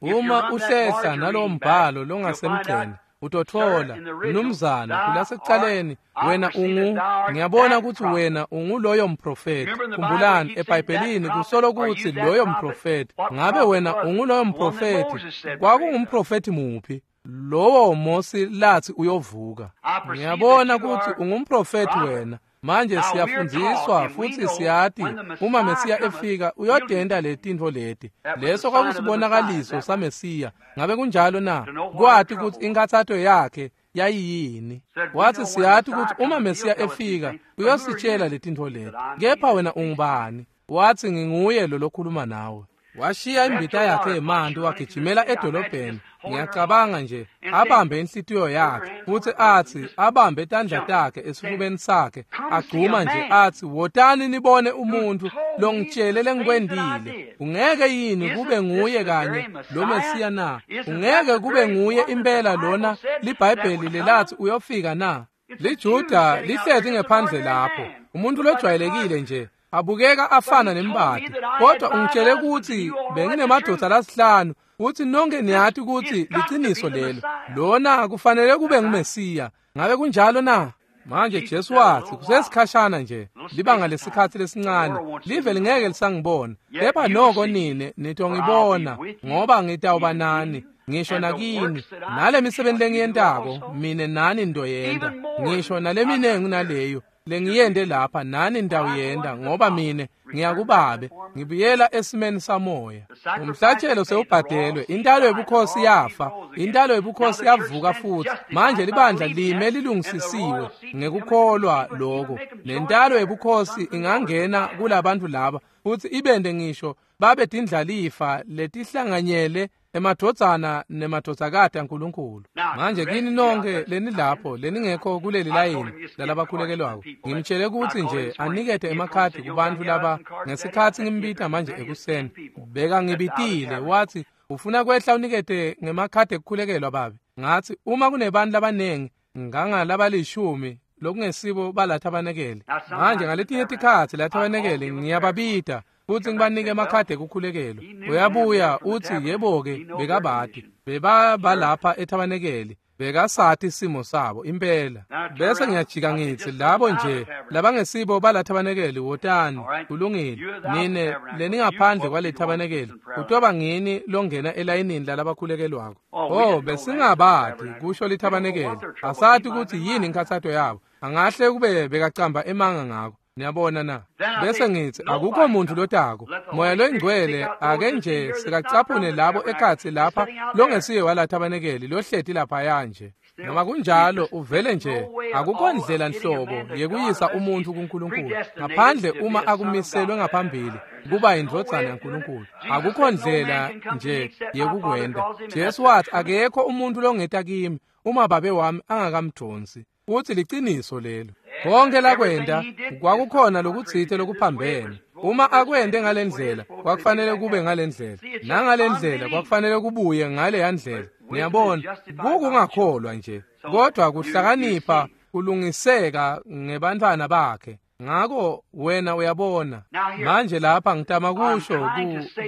Uma uhlehla nalowo mbhalo longasemgceni, Utotfola mnumzana kulasekucaleni wena ungu ngiyabona kutsi wena unguloyo mprofeti. Khumbulani eBhayibhelini kusolo kutsi loyo mprofeti. Ngabe wena unguloyo mprofeti? Kwakungumprofeti muphi? Lowo Mosi lathi uyovuka. Ngiyabona kutsi ungumprofeti wena. Manje siyafundziswa futsi siyati uma Mesiya efika uyodenda letintfo leti. Leso kwakusibonakaliso saMesiya. Ngabe kunjalo na? Kwati kutsi inkathato yakhe yayiyini. Wathi siyati kutsi uma Mesiya efika uyositshela letintfo leti. Kepha wena ungubani? Wathi nginguye lo lokhuluma nawe. Washiya imbita yakhe yemanti wagijimela edolobheni. Ngiyacabanga nje abambe inhlitiyo yakhe futsi athi abambe tandla takhe esifubeni sakhe agcuma nje athi wotani nibone umuntu longitshele lengikwendile. Ungeke yini kube nguye kanye lo Mesiya na? Ungeke kube nguye impela lona liBhayibheli lelathi uyofika na? LiJuda lihlezi ngephandle lapho, umuntu lojwayelekile nje abukeka afana nembati, kodwa ungitshele ukuthi benginemadoda lasihlanu futhi nonke niyati ukuthi liciniso lelo. Lona kufanele kube nguMesiya. Ngabe kunjalo na? Manje Jesu wathi kusesikhashana nje, libanga lesikhathi lesincane, live lingeke lisangibona, kepha noko nine nitongibona, ngoba ngitawuba nani ngisho nakini, nale misebenzi lengiyentako mine nani ndoyenta, ngisho naleminengi naleyo lengiyende lapha nani ndawuyenda, ngoba mine ngiyakubabe ngibuyela esimeni samoya. Umhlatshelo sewubhadelwe, intalo yobukhosi yafa, intalo yobukhosi yavuka futhi. Manje libandla lime lilungisisiwe ngekukholwa lokho, nentalo yobukhosi ingangena kulabantu laba futhi ibende ngisho babe tindlalifa letihlanganyele emadvodzana nemadvodzakati aNkulunkulu. Manje kini nonke lenilapho leningekho kuleli layini lalabakhulekelwako, ngimtshele kutsi nje anikete emakhadi kubantu laba ngesikhatsi ngimbita manje ekuseni. Beka ngibitile wathi ufuna kwehla unikete ngemakhadi ekukhulekelwa babe. Ngathi uma kunebantu labanengi ngangalabalishumi lokungesibo balathabanekele. Manje ngaletinye tikhatsi lathabanekele ngiyababita futhi ngibanike emakhadi ekukhulekelwa. Uyabuya uthi yebo-ke bekabati bebabalapha ethabanekele, bekasati isimo sabo impela. Bese ngiyajika ngithi labo nje labangesibo balathabanekele wotani, kulungile. Nine leningaphandle kwalethabanekele kutoba ngini longena elayinini lalabakhulekelwako. Oh, besingabati kusho lithabanekele, asati ukuthi yini inkathato yabo, angahle kube bekacamba emanga ngako. Niyabona na? Bese ngithi akukho muntu lotako. Moya loyingcwele ake nje sikacaphune labo ekhatsi lapha longesiye walathabanekeli lohleti lapha nje. Noma kunjalo uvele nje akukho ndlela nhlobo yekuyisa umuntu kuNkulunkulu ngaphandle uma akumiselwe ngaphambili kuba indvodzana yaNkulunkulu. Akukho ndlela nje yekukwenda. Jesu wathi akekho umuntu longeta kimi uma babe wami angakamdonsi. Uthi liciniso lelo. Konke lakwenda kwakukhona lokutsite lokuphambene. Uma akwende ngalendlela kwakufanele kube ngalendlela, nangalendlela kwakufanele kubuye ngale ndlela. Niyabona, kukungakholwa nje, kodwa kuhlakanipha kulungiseka ngebantwana bakhe. Ngako wena uyabona manje lapha ngitama kusho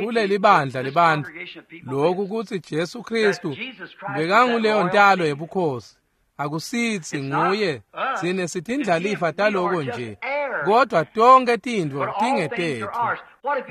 kuleli bandla lebantu lokhu kutsi Jesu Kristu bekanguleyo ntalo yebukhosi. Akusithi nguye, sine sitindlalifa taloko nje, kodwa tonke tintfo tingetetfu.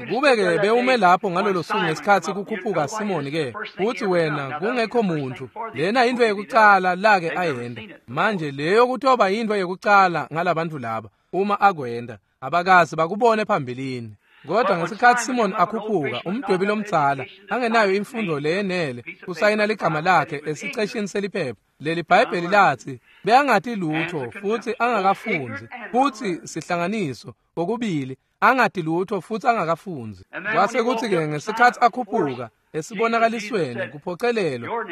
Kube-ke bewume lapho ngalolo suku ngesikhatsi kukhuphuka Simoni ke, uthi wena kungekho muntu, lena yintfo yekucala lake ayenda. Manje leyo kutoba yintfo yekucala ngalabantu laba uma akwenda, abakazi bakubone phambilini. Kodwa ngesikhatsi Simon akhuphuka, umdwebi lomdzala angenayo imfundo leyenele kusayina ligama lakhe esiceshini seliphepha. Leli Bhayibheli lathi beyangati lutho futhi angakafundzi, futhi sihlanganiso kokubili angati lutho futhi angakafundzi. Kwase kuthi-ke ngesikhatsi akhuphuka esibonakalisweni kuphocelelwa,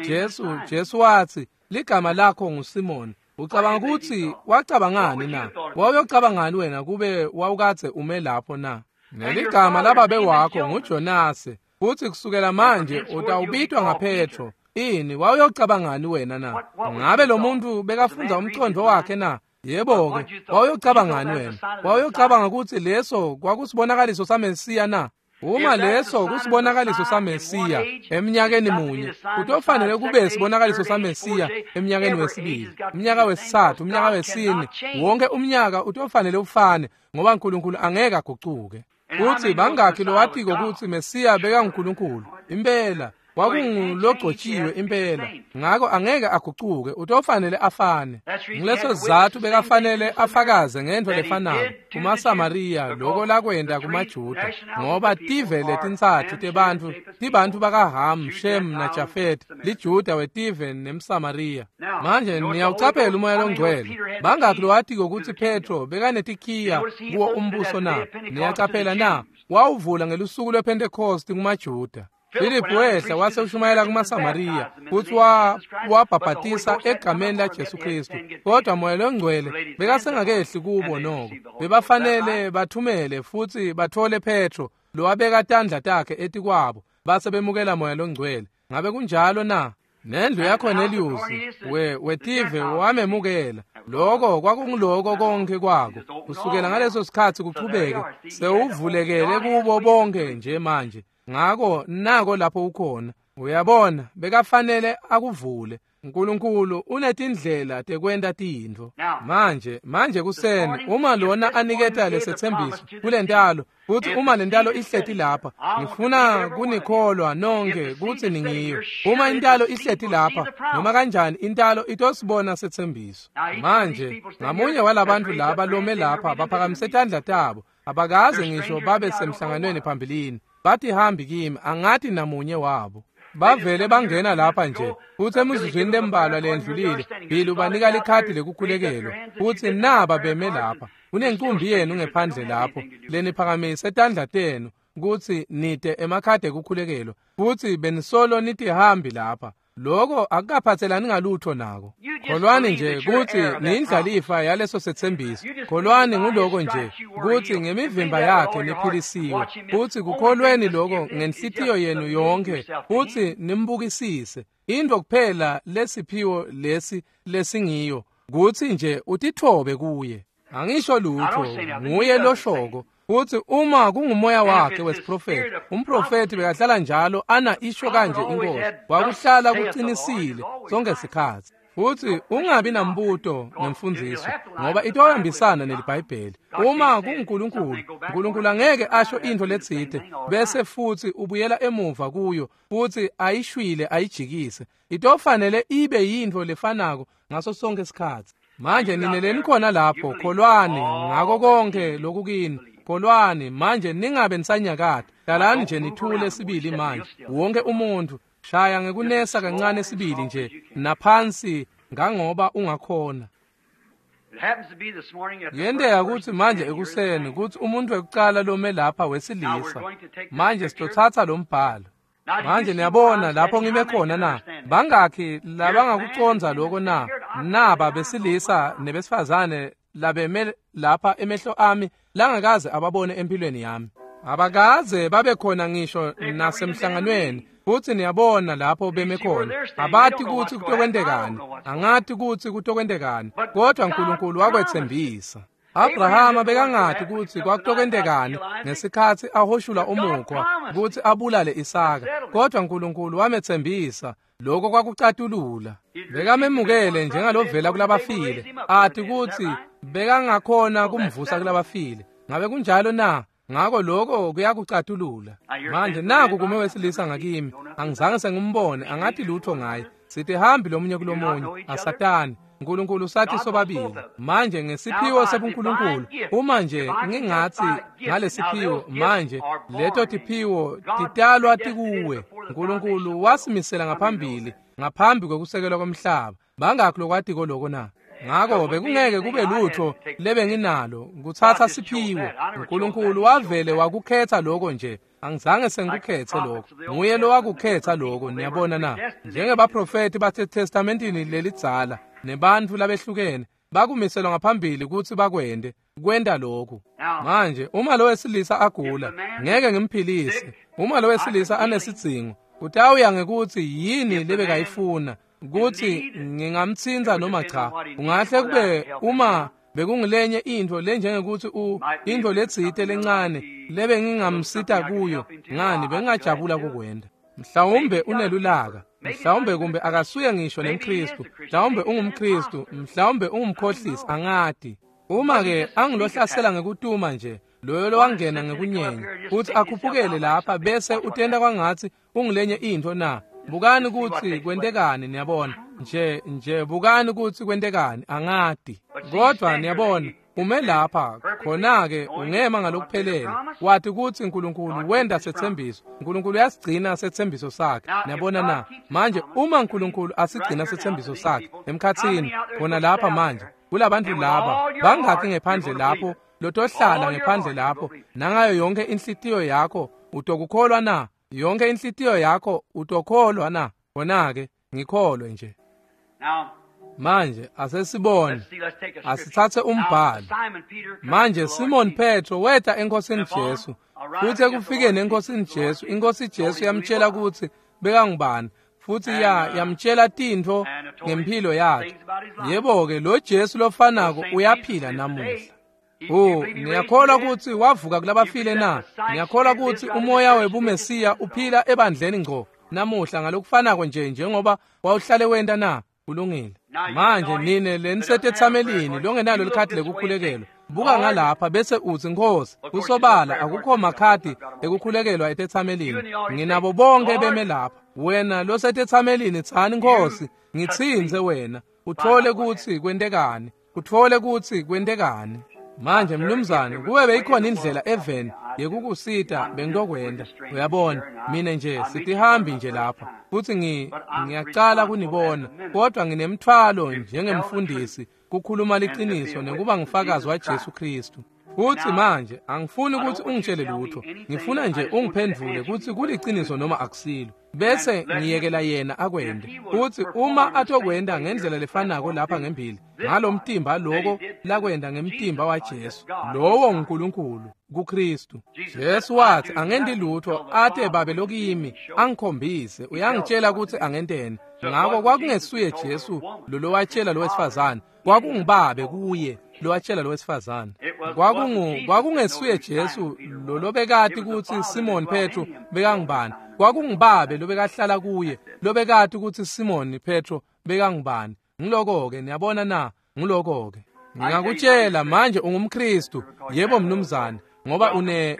Jesu wathi ligama lakho nguSimon. Ucabanga ukuthi wacabangani na? Wawuyocabangani wena kube wawukadze ume lapho na? Neligama lababe wakho nguJonase, futhi kusukela manje utawubitwa ngaPetro. Ini wawuyocabangani wena na? Ngabe lo muntu bekafundza umcondo wakhe na? Yebo-ke, wawuyocabangani wena? Wawuyocabanga ukuthi leso kwakusibonakaliso saMesiya na? Uma leso kusibonakaliso saMesiya eminyakeni munye, kutofanele kube sibonakaliso saMesiya eminyakeni wesibili, umnyaka wesithathu, umnyaka wesine. Wonke umnyaka utofanele ufane, ngoba uNkulunkulu angeke agucuke. Kutsi bangakhi lowatiko kutsi Mesiya bekanguNkulunkulu? Impela kwakungulogcotshiwe impela, ngako angeke agucuke, utofanele afane. Ngileso sizatfu bekafanele afakaze ngentfo lefanako kumaSamariya loko lakwenta kumaJuda, ngoba tive letintsatfu tebantfu tibantfu bakaHamu, Shem naJafeti, liJuda wetive nemSamariya. Manje niyawucaphela umoya longcwele. Bangakhi lowatiko kutsi Petro bekanetikhiya kuwo umbuso na? Niyacaphela na? Wawuvula ngelusuku lwePhentekhosti kumaJuda. Philip wehla wase ushumayela kumaSamariya futsi wabhabhatisa egameni laJesu Kristu, kodwa Moya loNgcwele bekasengakehli kubo noko. Bebafanele bathumele futsi bathole Petro lowabeka tandla takhe etikwabo, base bemukela Moya loNgcwele. Ngabe kunjalo na? Nendlu yaCornelius wetive wamemukela. Loko kwakunguloko konke kwako. Kusukela ngaleso sikhatsi kuchubeke sewuvulekele kubo bonke nje manje. Ngako nako lapho ukhona. Uyabona, bekafanele akuvule. uNkulunkulu unetindlela tekwenta tintfo. Manje kuseni uma lona aniketa lesetsembiso kulentalo, futhi uma lentalo ihleti lapha, ngifuna kunikholwa nonke kutsi ningiyo. Uma intalo ihleti lapha, noma kanjani intalo itosibona setsembiso. Manje ngamunye walabantu laba lome lapha baphakamise tandla tabo, abakaze ngisho babe semhlanganweni phambilini. Bathi hambi kimi, angathi namunye wabo. Bavele bangena lapha nje, futhi emizuzwini lembalwa lendlulile, Bill ubanika likhadi lekukhulekelwa, futhi naba beme lapha. Kunenkumbi yenu ngephandle lapho, leniphakamise tandla tenu kutsi nite emakhadi ekukhulekelwa, futhi benisolo nitihambi lapha. Loko akukaphathelani ngalutho nako. Kholwani nje kutsi niyindlalifa yaleso setsembiso. Kholwani nguloko nje kutsi ngemivimba yakhe niphilisiwe, futsi kukholweni loko ngenhlitiyo yenu yonke, futsi nimbukisise. Intfo kuphela lesiphiwo lesi lesingiyo kutsi nje utitfobe kuye. Angisho lutho, nguye loshoko. Futsi uma kungumoya wakhe wesiprofethi, umprofethi bekahlala njalo ana isho kanje inkosi, wakuhlala kuqinisile sonke sikhatsi. Futsi ungabi nambuto ngemfundziso, ngoba itohambisana neliBhayibheli. Uma kunguNkulunkulu, uNkulunkulu angeke asho intfo letsite bese futsi ubuyela emuva kuyo futsi ayishwile ayijikise. Itofanele ibe yintfo lefanako ngaso sonke sikhatsi. Manje nine khona lapho, kholwani ngako konke lokukini. Kholwani manje, ningabe nisanyakata. Hlalani nje nithule sibili manje. Wonke umuntu shaya ngekunesa kancane sibili nje naphansi ngangoba ungakhona. Yenteka kutsi manje ekuseni kutsi umuntu wekucala lome lapha wesilisa. Manje sitotsatsa lo mbhalo. Manje niyabona lapho ngime khona na? Bangakhi labangakucondza loko na? Naba besilisa nebesifazane labeme lapha emehlo ami langakaze ababone empilweni yami. Abakaze babe khona ngisho nasemhlanganweni. Futsi niyabona lapho beme khona, abati kutsi kutokwentekani, angati kutsi kutokwentekani, kodwa uNkulunkulu wakwetsembisa. Abrahama bekangati kutsi kwakutokwentekani ngesikhatsi ahoshula umukhwa kutsi abulale Isaka, kodwa uNkulunkulu wametsembisa. Lokho kwakucatulula. Bekamemukele njengalovela kulabafile, ati kutsi bekangakhona kumvusa kulabafile. Ngabe kunjalo na? Ngako lokho kuyakucatulula. Manje naku kume wesilisa ngakimi, angizange sengimbone, angathi lutho ngaye. Sithi hambi lomunye kulomunye, asatani. uNkulunkulu sathi sobabili. Manje ngesiphiwo sebuNkulunkulu, uma nje ngingathi ngalesiphiwo, manje leto tiphiwo titalwa tikuwe. uNkulunkulu wasimisela ngaphambili, ngaphambi kwekusekelwa komhlaba. Bangakhi lokwatiko loko na? Ngako bekungeke kube lutho lebenginalo kutsatsa siphiwo. uNkulunkulu wavele wakukhetha lokho nje. Angizange sengikukhetse lokho, nguye lowakukhetha lokho. Niyabona na? Njengebaprofethi baseTestamentini lelidzala nebantfu labehlukene bakumiselwa ngaphambili kutsi bakwente kwenta lokhu. Manje uma lo wesilisa agula, ngeke ngimphilise. Uma lo wesilisa anesidzingo, kutawuya ngekuthi yini lebekayifuna, kutsi ngingamtsintsa noma cha. Kungahle kube uma Bekungilenye intfo lenjengekuthi intfo letsite lencane lebengingamsita kuyo, ngani bengingajabula kukwenta. Mhlawumbe unelulaka, mhlawumbe kumbe akasuye ngisho nemKhristu, mhlawumbe ungumKhristu, mhlawumbe ungumkhohlisi, angati. Uma-ke angilohlasela ngekutuma nje, loyo lowangena ngekunyenya, futhi akhuphukele lapha bese utenta kwangatsi ungilenye intfo na? Bukani kutsi kwentekani, niyabona. Nje bukani kutsi kwentekani, angati. Kodwa niyabona, ume lapha, khona-ke ungema ngalokuphelele. Wathi kutsi Nkulunkulu wenta setsembiso. Nkulunkulu uyasigcina setsembiso sakhe. Niyabona na? Manje uma Nkulunkulu asigcina setsembiso sakhe emkhatsini, khona lapha manje, kulabantu laba, bangakhi ngephandle lapho, lotohlala ngephandle lapho, nangayo yonke inhlitiyo yakho, utokukholwa na? Yonke inhlitiyo yakho utokholwa na? Khona-ke ngikholwe nje. Manje asesibone, asithathe umbhalo. Manje Simon Petro weta eNkosini Jesu, futhi ekufikeni eNkosini Jesu, iNkosi Jesu yamtshela kutsi bekangubani, futhi yamtshela tintfo ngemphilo yakhe. Yebo-ke, lo Jesu lofanako uyaphila namuhla. Niyakholwa kutsi wavuka kulabafile na? Niyakholwa kutsi umoya webuMesiya uphila ebandleni ngco namuhla ngalokufanako nje njengoba wawuhlale wenta na? Kulungile. Manje nine lenisetetsamelini longenalo likhadi lekukhulekelwa, buka ngalapha bese utsi, Nkhosi, kusobala akukho makhadi ekukhulekelwa etetsamelini. Nginabo bonke beme lapha. Wena losetetsamelini, tsani, Nkhosi, ngitsintse wena, utfole kutsi kwentekani. Utfole kutsi kwentekani. Manje mnumzane, kube beyikhona indlela eveni yekukusita bengitokwenta. Uyabona, mine nje sitihambi nje lapha, futhi ngiyacala kunibona, kodwa nginemthwalo njengemfundisi kukhuluma liqiniso nekuba ngufakazi waJesu Kristu. Futhi manje angifuni ukuthi ungitshele lutho, ngifuna nje ungiphendvule kutsi kuliciniso noma akusilo, bese ngiyekela yena akwente. Futhi uma atokwenta ngendlela lefanako lapha ngembili ngalomtimba loko lakwenta ngemtimba waJesu, lowo nguNkulunkulu kuKristu. Jesu wathi angenti lutho ate babe lokimi angikhombise, uyangitshela kutsi angenteni. Ngako kwakungesuye Jesu lolowatshela lowesifazane, kwakungubabe kuye lowatshela lowesifazane. Kwakungesuye Jesu lolobekati kutsi Simon Petro bekangubani, kwakungubabe lobekahlala kuye lobekati kutsi Simon Petro bekangubani. Ngiloko-ke, niyabona na? Ngiloko-ke. Ngingakutshela manje ungumKristu, yebo mnumzane, ngoba une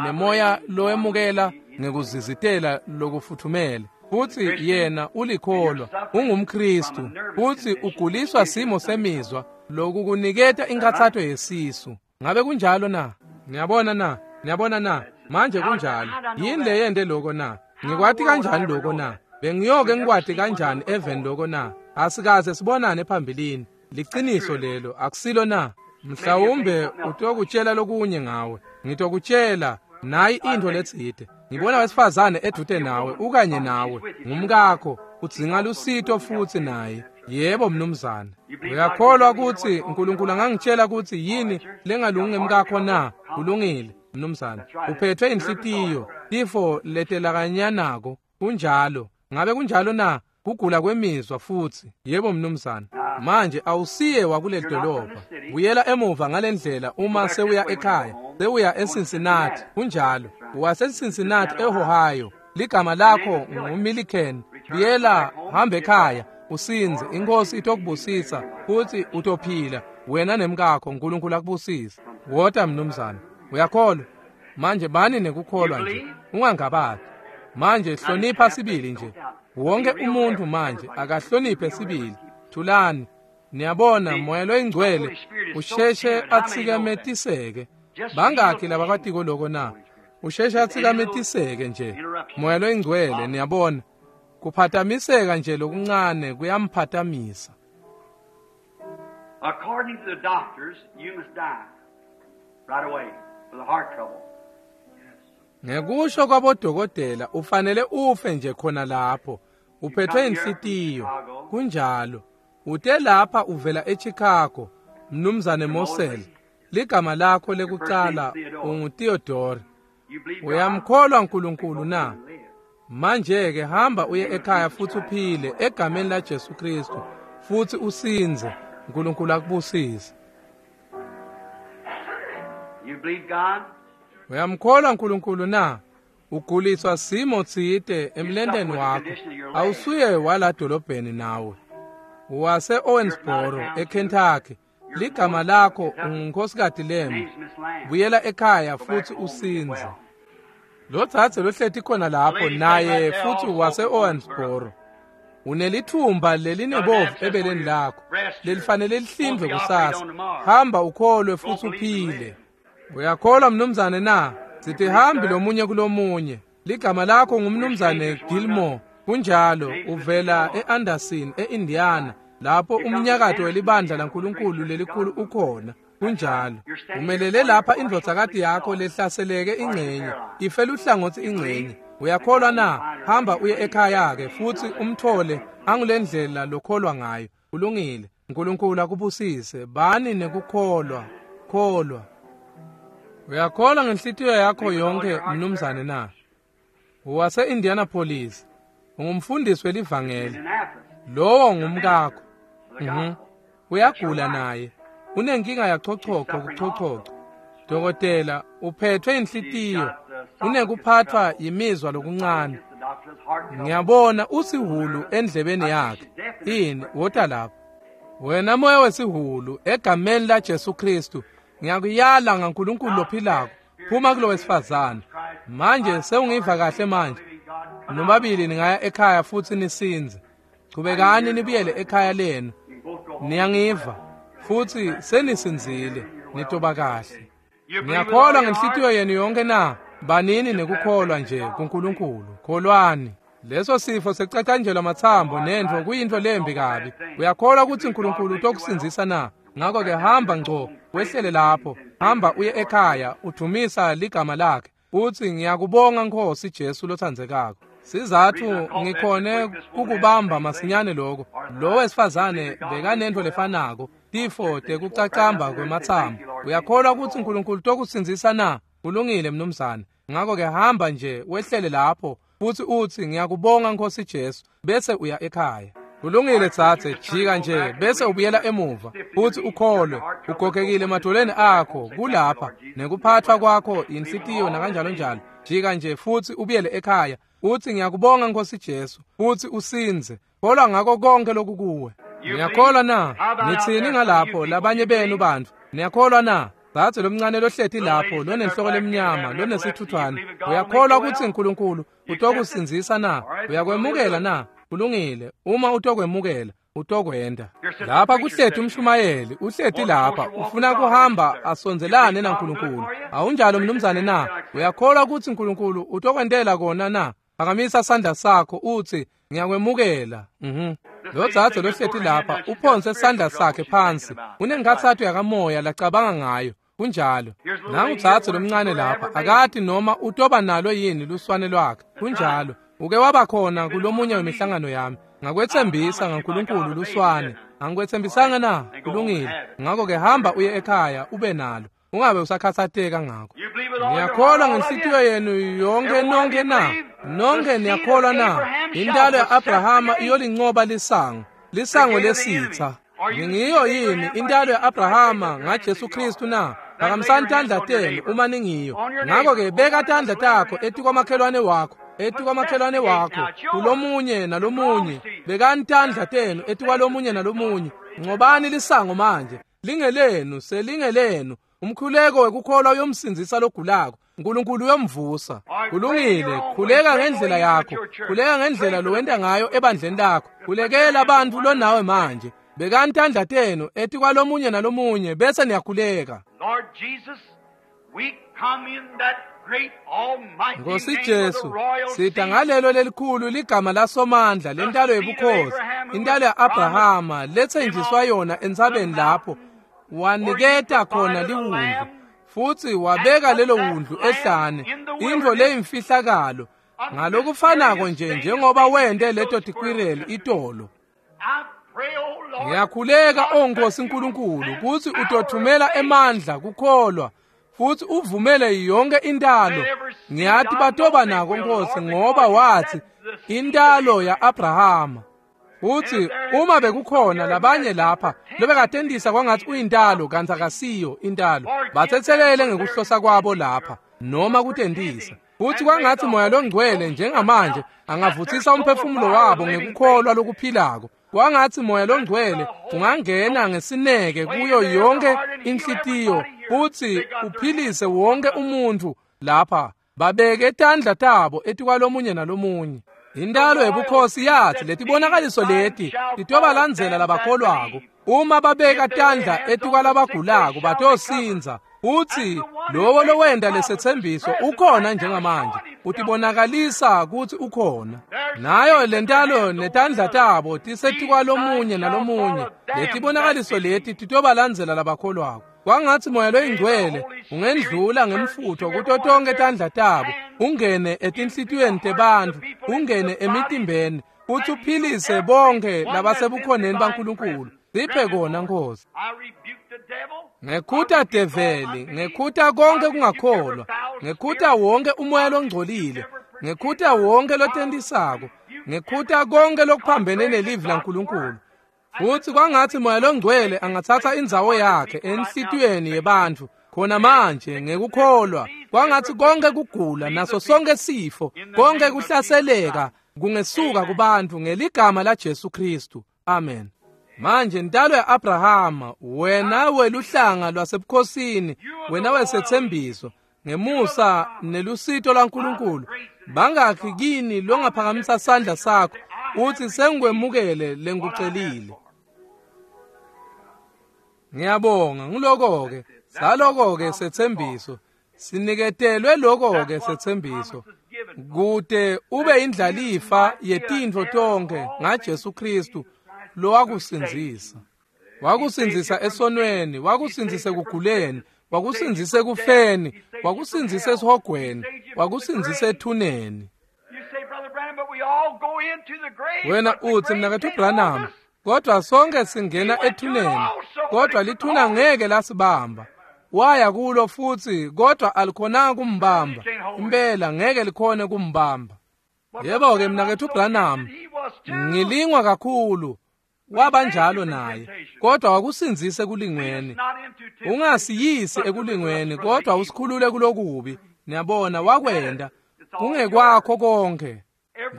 nemoya lowemukela ngekuzizitela lokufuthumele. Futhi yena ulikholwa, ungumKristu, futhi uguliswa simo semizwa lokukuniketa inkathatho yesisu. Ngabe kunjalo na? Niyabona na? Niyabona na? Manje kunjalo. Yini leyente loko na? Ngikwati kanjani loko na? Bengiyoke ngikwati kanjani even loko na? Asikaze sibonane phambilini. Liqiniso lelo, akusilo na? Mhlawumbe utokutshela lokunye ngawe. Ngitokutshela nayi intfo letsite. Ngibona wesifazane edute nawe, ukanye nawe, ngumkakho, udzinga lusito futhi naye. Yebo mnumzane. Uyakholwa kutsi uNkulunkulu angangitshela kutsi yini lengalungi ngemkakho na? Kulungile mnumzane. Uphethwe inhlitiyo, tifo letelakanyanako. Kunjalo. Ngabe kunjalo na? Kugula kwemizwa futhi. Yebo mnumzane. Manje awusiye wakuleli dolobha. Buyela emuva ngalendlela uma sewuya ekhaya, sewuya eCincinnati. Kunjalo. WaseCincinnati eOhio. Ligama lakho nguMilliken. Buyela, hamba ekhaya, usinze. INkosi itokubusisa futhi utophila wena nemkakho. uNkulunkulu akubusise. Wota mnumzane. Uyakholwa? Manje bani nekukholwa nje, ungangabati. Manje hlonipha sibili nje. Wonke umuntu manje akahloniphe sibili. Thulani. Niyabona, moya loyingcwele usheshe atsikametiseke. Bangakhi labakwatiko loko na? Usheshe atsikametiseke nje moya loyingcwele. Niyabona, kuphatamiseka nje lokuncane kuyamphatamisa. According to the doctors, you must die right away for the heart trouble. Ngekusho kwabodokotela ufanele ufe nje khona lapho. Uphethwe inhlitiyo. Kunjalo. Ute lapha uvela eChicago, Mnumzane Mosel. Ligama lakho lekucala unguTheodore. Uyamkholwa uNkulunkulu na? Manje ke hamba uye ekhaya futhi uphile egameni laJesu Kristu futhi usinze. uNkulunkulu akubusise. Uyamkholwa uNkulunkulu na? Uguliswa simo tsite emlenteni wakho. Awusuye wala dolobheni nawe. Wase Owensboro eKentucky. Ligama lakho ungunkosikazi Lem. Buyela ekhaya futhi usinze. Lo dzadze lohleti khona lapho naye futhi wase Owensboro. Unelithumba lelinebovu ebeleni lakho lelifanele lihlindwe kusasa. Hamba ukholwe futhi uphile. Uyakholwa mnumzane na? Sithi hambi lomunye kulomunye. Ligama lakho ngumnumzane Gilmore. Kunjalo, uvela eAnderson eIndiana, lapho umnyakato welibandla laNkulunkulu lelikhulu ukhona. Kunjalo. Umelele lapha indvodzakati yakho lehlaseleke ingcenye, ife luhlangothi ingcenye. Uyakholwa na? Hamba uye ekhaya ke futhi umthole angulendlela lokholwa ngayo. Kulungile. uNkulunkulu akubusise. Bani nekukholwa. Kholwa. Uyakholwa ngenhlitiyo yakho yonke mnumzane na? Wase Indianapolis. Ungumfundisi welivangeli. Lowo ngumkakho. Uyagula naye. Unenkinga yachochoko kuchochocho. Dokotela, uphethwe inhlitiyo. Unekuphathwa yimizwa lokuncane. Ngiyabona usihulu endlebeni yakhe. Ini, wota lapha. Wena moya wesihulu, egameni la Jesu Kristu, ngiyakuyala ngaNkulunkulu lophilako. Phuma kulo wesifazane. Manje sewungiva kahle manje. Nobabili ningaya ekhaya futhi nisinze. Chubekani nibuyele ekhaya lenu. Niyangiva futhi senisinzile, nitoba kahle. Niyakholwa ngenhlitiyo yenu yonke na? Banini nekukholwa nje kuNkulunkulu. Kholwani. Leso sifo secacanjelwa mathambo nentfo kuyintfo lembi kabi. Uyakholwa ukuthi uNkulunkulu utokusindzisa na? Ngakho ke hamba ngco, wehlele lapho. Hamba uye ekhaya, udumisa ligama lakhe. Uthi ngiyakubonga Nkosi Jesu lothandzekako. Sizathu ngikhone kukubamba masinyane lokho. Lo wesifazane bekanento lefanako, tifo tekucacamba kwemathambo. Uyakholwa ukuthi uNkulunkulu tokusindzisa na? Kulungile mnumzane. Ngakho ke hamba nje wehlele lapho futhi uthi ngiyakubonga Nkosi Jesu, bese uya ekhaya. Kulungile tsatse, jika nje bese ubuyela emuva futhi ukholwe. Ugogekile emadolweni akho kulapha nekuphathwa kwakho inhlitiyo nakanjalo njalo. Jika nje futhi ubuyele ekhaya. Uthi ngiyakubonga Nkosi Jesu futhi usinze. Kholwa ngako konke lokukuwe. Niyakholwa na? Nithini ngalapho labanye benu bantu? Niyakholwa na? Dzadze lomncane lohleti lapho lonenhloko lemnyama lonesithuthwane. Uyakholwa ukuthi uNkulunkulu utokusindzisa na? Uyakwemukela na? Kulungile. Uma utokwemukela, utokwenda. Lapha kuhleti umshumayeli, uhleti lapha, ufuna kuhamba asondelane naNkulunkulu. Awunjalo mnumzane na? Uyakholwa ukuthi uNkulunkulu utokwentela kona na? Phakamisa sandla sakho uthi ngiyakwemukela. Lo dzadze lohleti lapha uphonse sandla sakhe phansi. Unenkhatsato yakamoya lacabanga ngayo. Kunjalo. Nangu dzadze lomncane lapha akati noma utoba nalo yini luswane lwakhe. Kunjalo. Uke waba khona kulomunye wemihlangano yami. Ngakwethembisa ngaNkulunkulu luswane. Angikwethembisanga na? Kulungile. Ngakho ke hamba uye ekhaya ube nalo. Ungabe usakhathatheka ngakho. Niyakholwa ngenhlitiyo yenu yonke nonke na? Nonke niyakholwa na? Intalo ya-Abrahama iyolinqoba lisango, lisango lesitha. Ningiyo yini intalo ya-Abrahama ngaJesu Kristu na? Phakamisani tandla tenu uma ningiyo. Ngakho ke beka tandla takho etikwamakhelwane wakho, etikwamakhelwane wakho, kulomunye nalomunye. Bekani tandla tenu etikwalomunye nalomunye. Nqobani lisango manje. Lingelenu, selingelenu. Umkhuleko wekukholwa uyomsindzisa logulako. uNkulunkulu uyomvusa. Kulungile, khuleka ngendlela yakho. Khuleka ngendlela lowenta ngayo ebandleni lakho. Khulekela abantu lonawe manje. Bekani tandla tenu etikwalomunye nalomunye bese niyakhuleka. Nkosi Jesu, sita ngalelo lelikhulu ligama lasomandla lentalo yebukhosi, intalo ya-Abrahama lethenjiswa yona entsabeni lapho waniketa khona liwundlu futhi wabeka lelo wundlu ehlane, intfo leyimfihlakalo ngalokufanako nje njengoba wente leto tikwireli itolo. Ngiyakhuleka o Nkosi Nkulunkulu kutsi utothumela emandla kukholwa futhi uvumele yonke intalo. Ngiyathi batoba nako Nkosi, ngoba wathi intalo ya-Abrahama. Futsi uma bekukhona labanye lapha lobekatentisa kwangatsi uyintalo kantsi akasiyo intalo, batsetselele ngekuhlosa kwabo lapha noma kutentisa. Futsi kwangatsi Moya Longcwele njengamanje angavutsisa umphefumulo wabo ngekukholwa lokuphilako. Kwangatsi Moya Longcwele ungangena ngesineke kuyo yonke inhlitiyo futsi uphilise wonke umuntfu lapha. Babeke tandla tabo etikwalomunye nalomunye. Intalo yebukhosi yathi letibonakaliso leti titobalandzela labakholwako. Uma babeka tandla etikwalabagulako batosindza. Futsi lowo lowenta lesetsembiso ukhona njengamanje, utibonakalisa kutsi ukhona. Nayo lentalo netandla tabo tisetikwalomunye nalomunye. Letibonakaliso leti titobalandzela labakholwako. Kwangatsi Moya Loyingcwele ungendlula ngemfutho kuto tonke tandla tabo, ungene etinhlitiyweni tebantfu, ungene emitimbeni, futsi uphilise bonke labasebukhoneni baNkulunkulu. Siphe kona, Nkosi. Ngekhuta develi, ngekhuta konke kungakholwa, ngekhuta wonke umoya longcolile, ngekhuta wonke lotentisako, ngekhuta konke lokuphambene nelivi laNkulunkulu. Futsi kwangatsi Moya Longcwele angatsatsa indzawo yakhe enhlitiyweni yebantfu khona manje ngekukholwa. Kwangatsi konke kugula naso sonke sifo, konke kuhlaseleka kungesuka kubantfu ngeligama laJesu Khristu. Amen. Manje ntalo ya-Abrahama, wena weluhlanga lwasebukhosini, wena wesetsembiso, ngemusa nelusito lwaNkulunkulu, bangakhi kini longaphakamisa sandla sakho uthi sengikwemukele lengikucelile? Ngiyabonga. Ngiloko-ke saloko-ke setsembiso siniketelwe loko-ke setsembiso kute ube indlalifa yetintfo tonkhe ngaJesu Khristu lowakusindzisa. Wakusindzisa esonweni, wakusindzisa ekuguleni, wakusindzisa ekufeni, wakusindzisa esihogweni, wakusindzisa ethuneni. Wena utsi, mnaketfu Branham, kodwa sonke singena ethuneni, kodwa lithuna ngeke lasibamba. Waya kulo futsi, kodwa alikhonanga kumbamba. Impela ngeke likhone kumbamba. Yebo-ke mnaketfu Branham, ngilingwa kakhulu. Wabanjalo naye, kodwa wakusindzisa ekulingweni. Ungasiyisi ekulingweni, kodwa usikhulule kulokubi. Niyabona, wakwenda. Kungekwakho konke.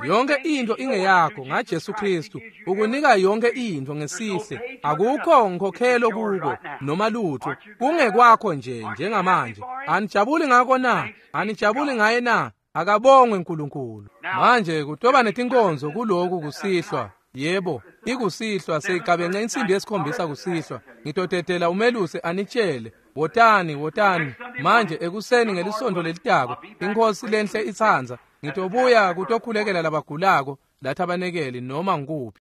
Yonke into ingeyakho ngaJesu Khristu. Ukunika yonke into ngesihle. Akukho nkhokhelo kuko noma lutho. Kungekwakho nje njengamanje. Anijabuli ngako na? Anijabuli ngaye na? Akabongwe uNkulunkulu. Manje kutoba netinkonzo kuloku kusihlwa. Yebo, ikusihlwa seyigabence insimbi yesikhombisa kusihlwa. Ngitotetela umelusi anitshele. Wotani, wotani. Manje ekuseni ngelisonto lelitako, iNkhosi lenhle itsandza, ngitobuya kutokhulekela labagulako lathabanekeli noma ngikuphi.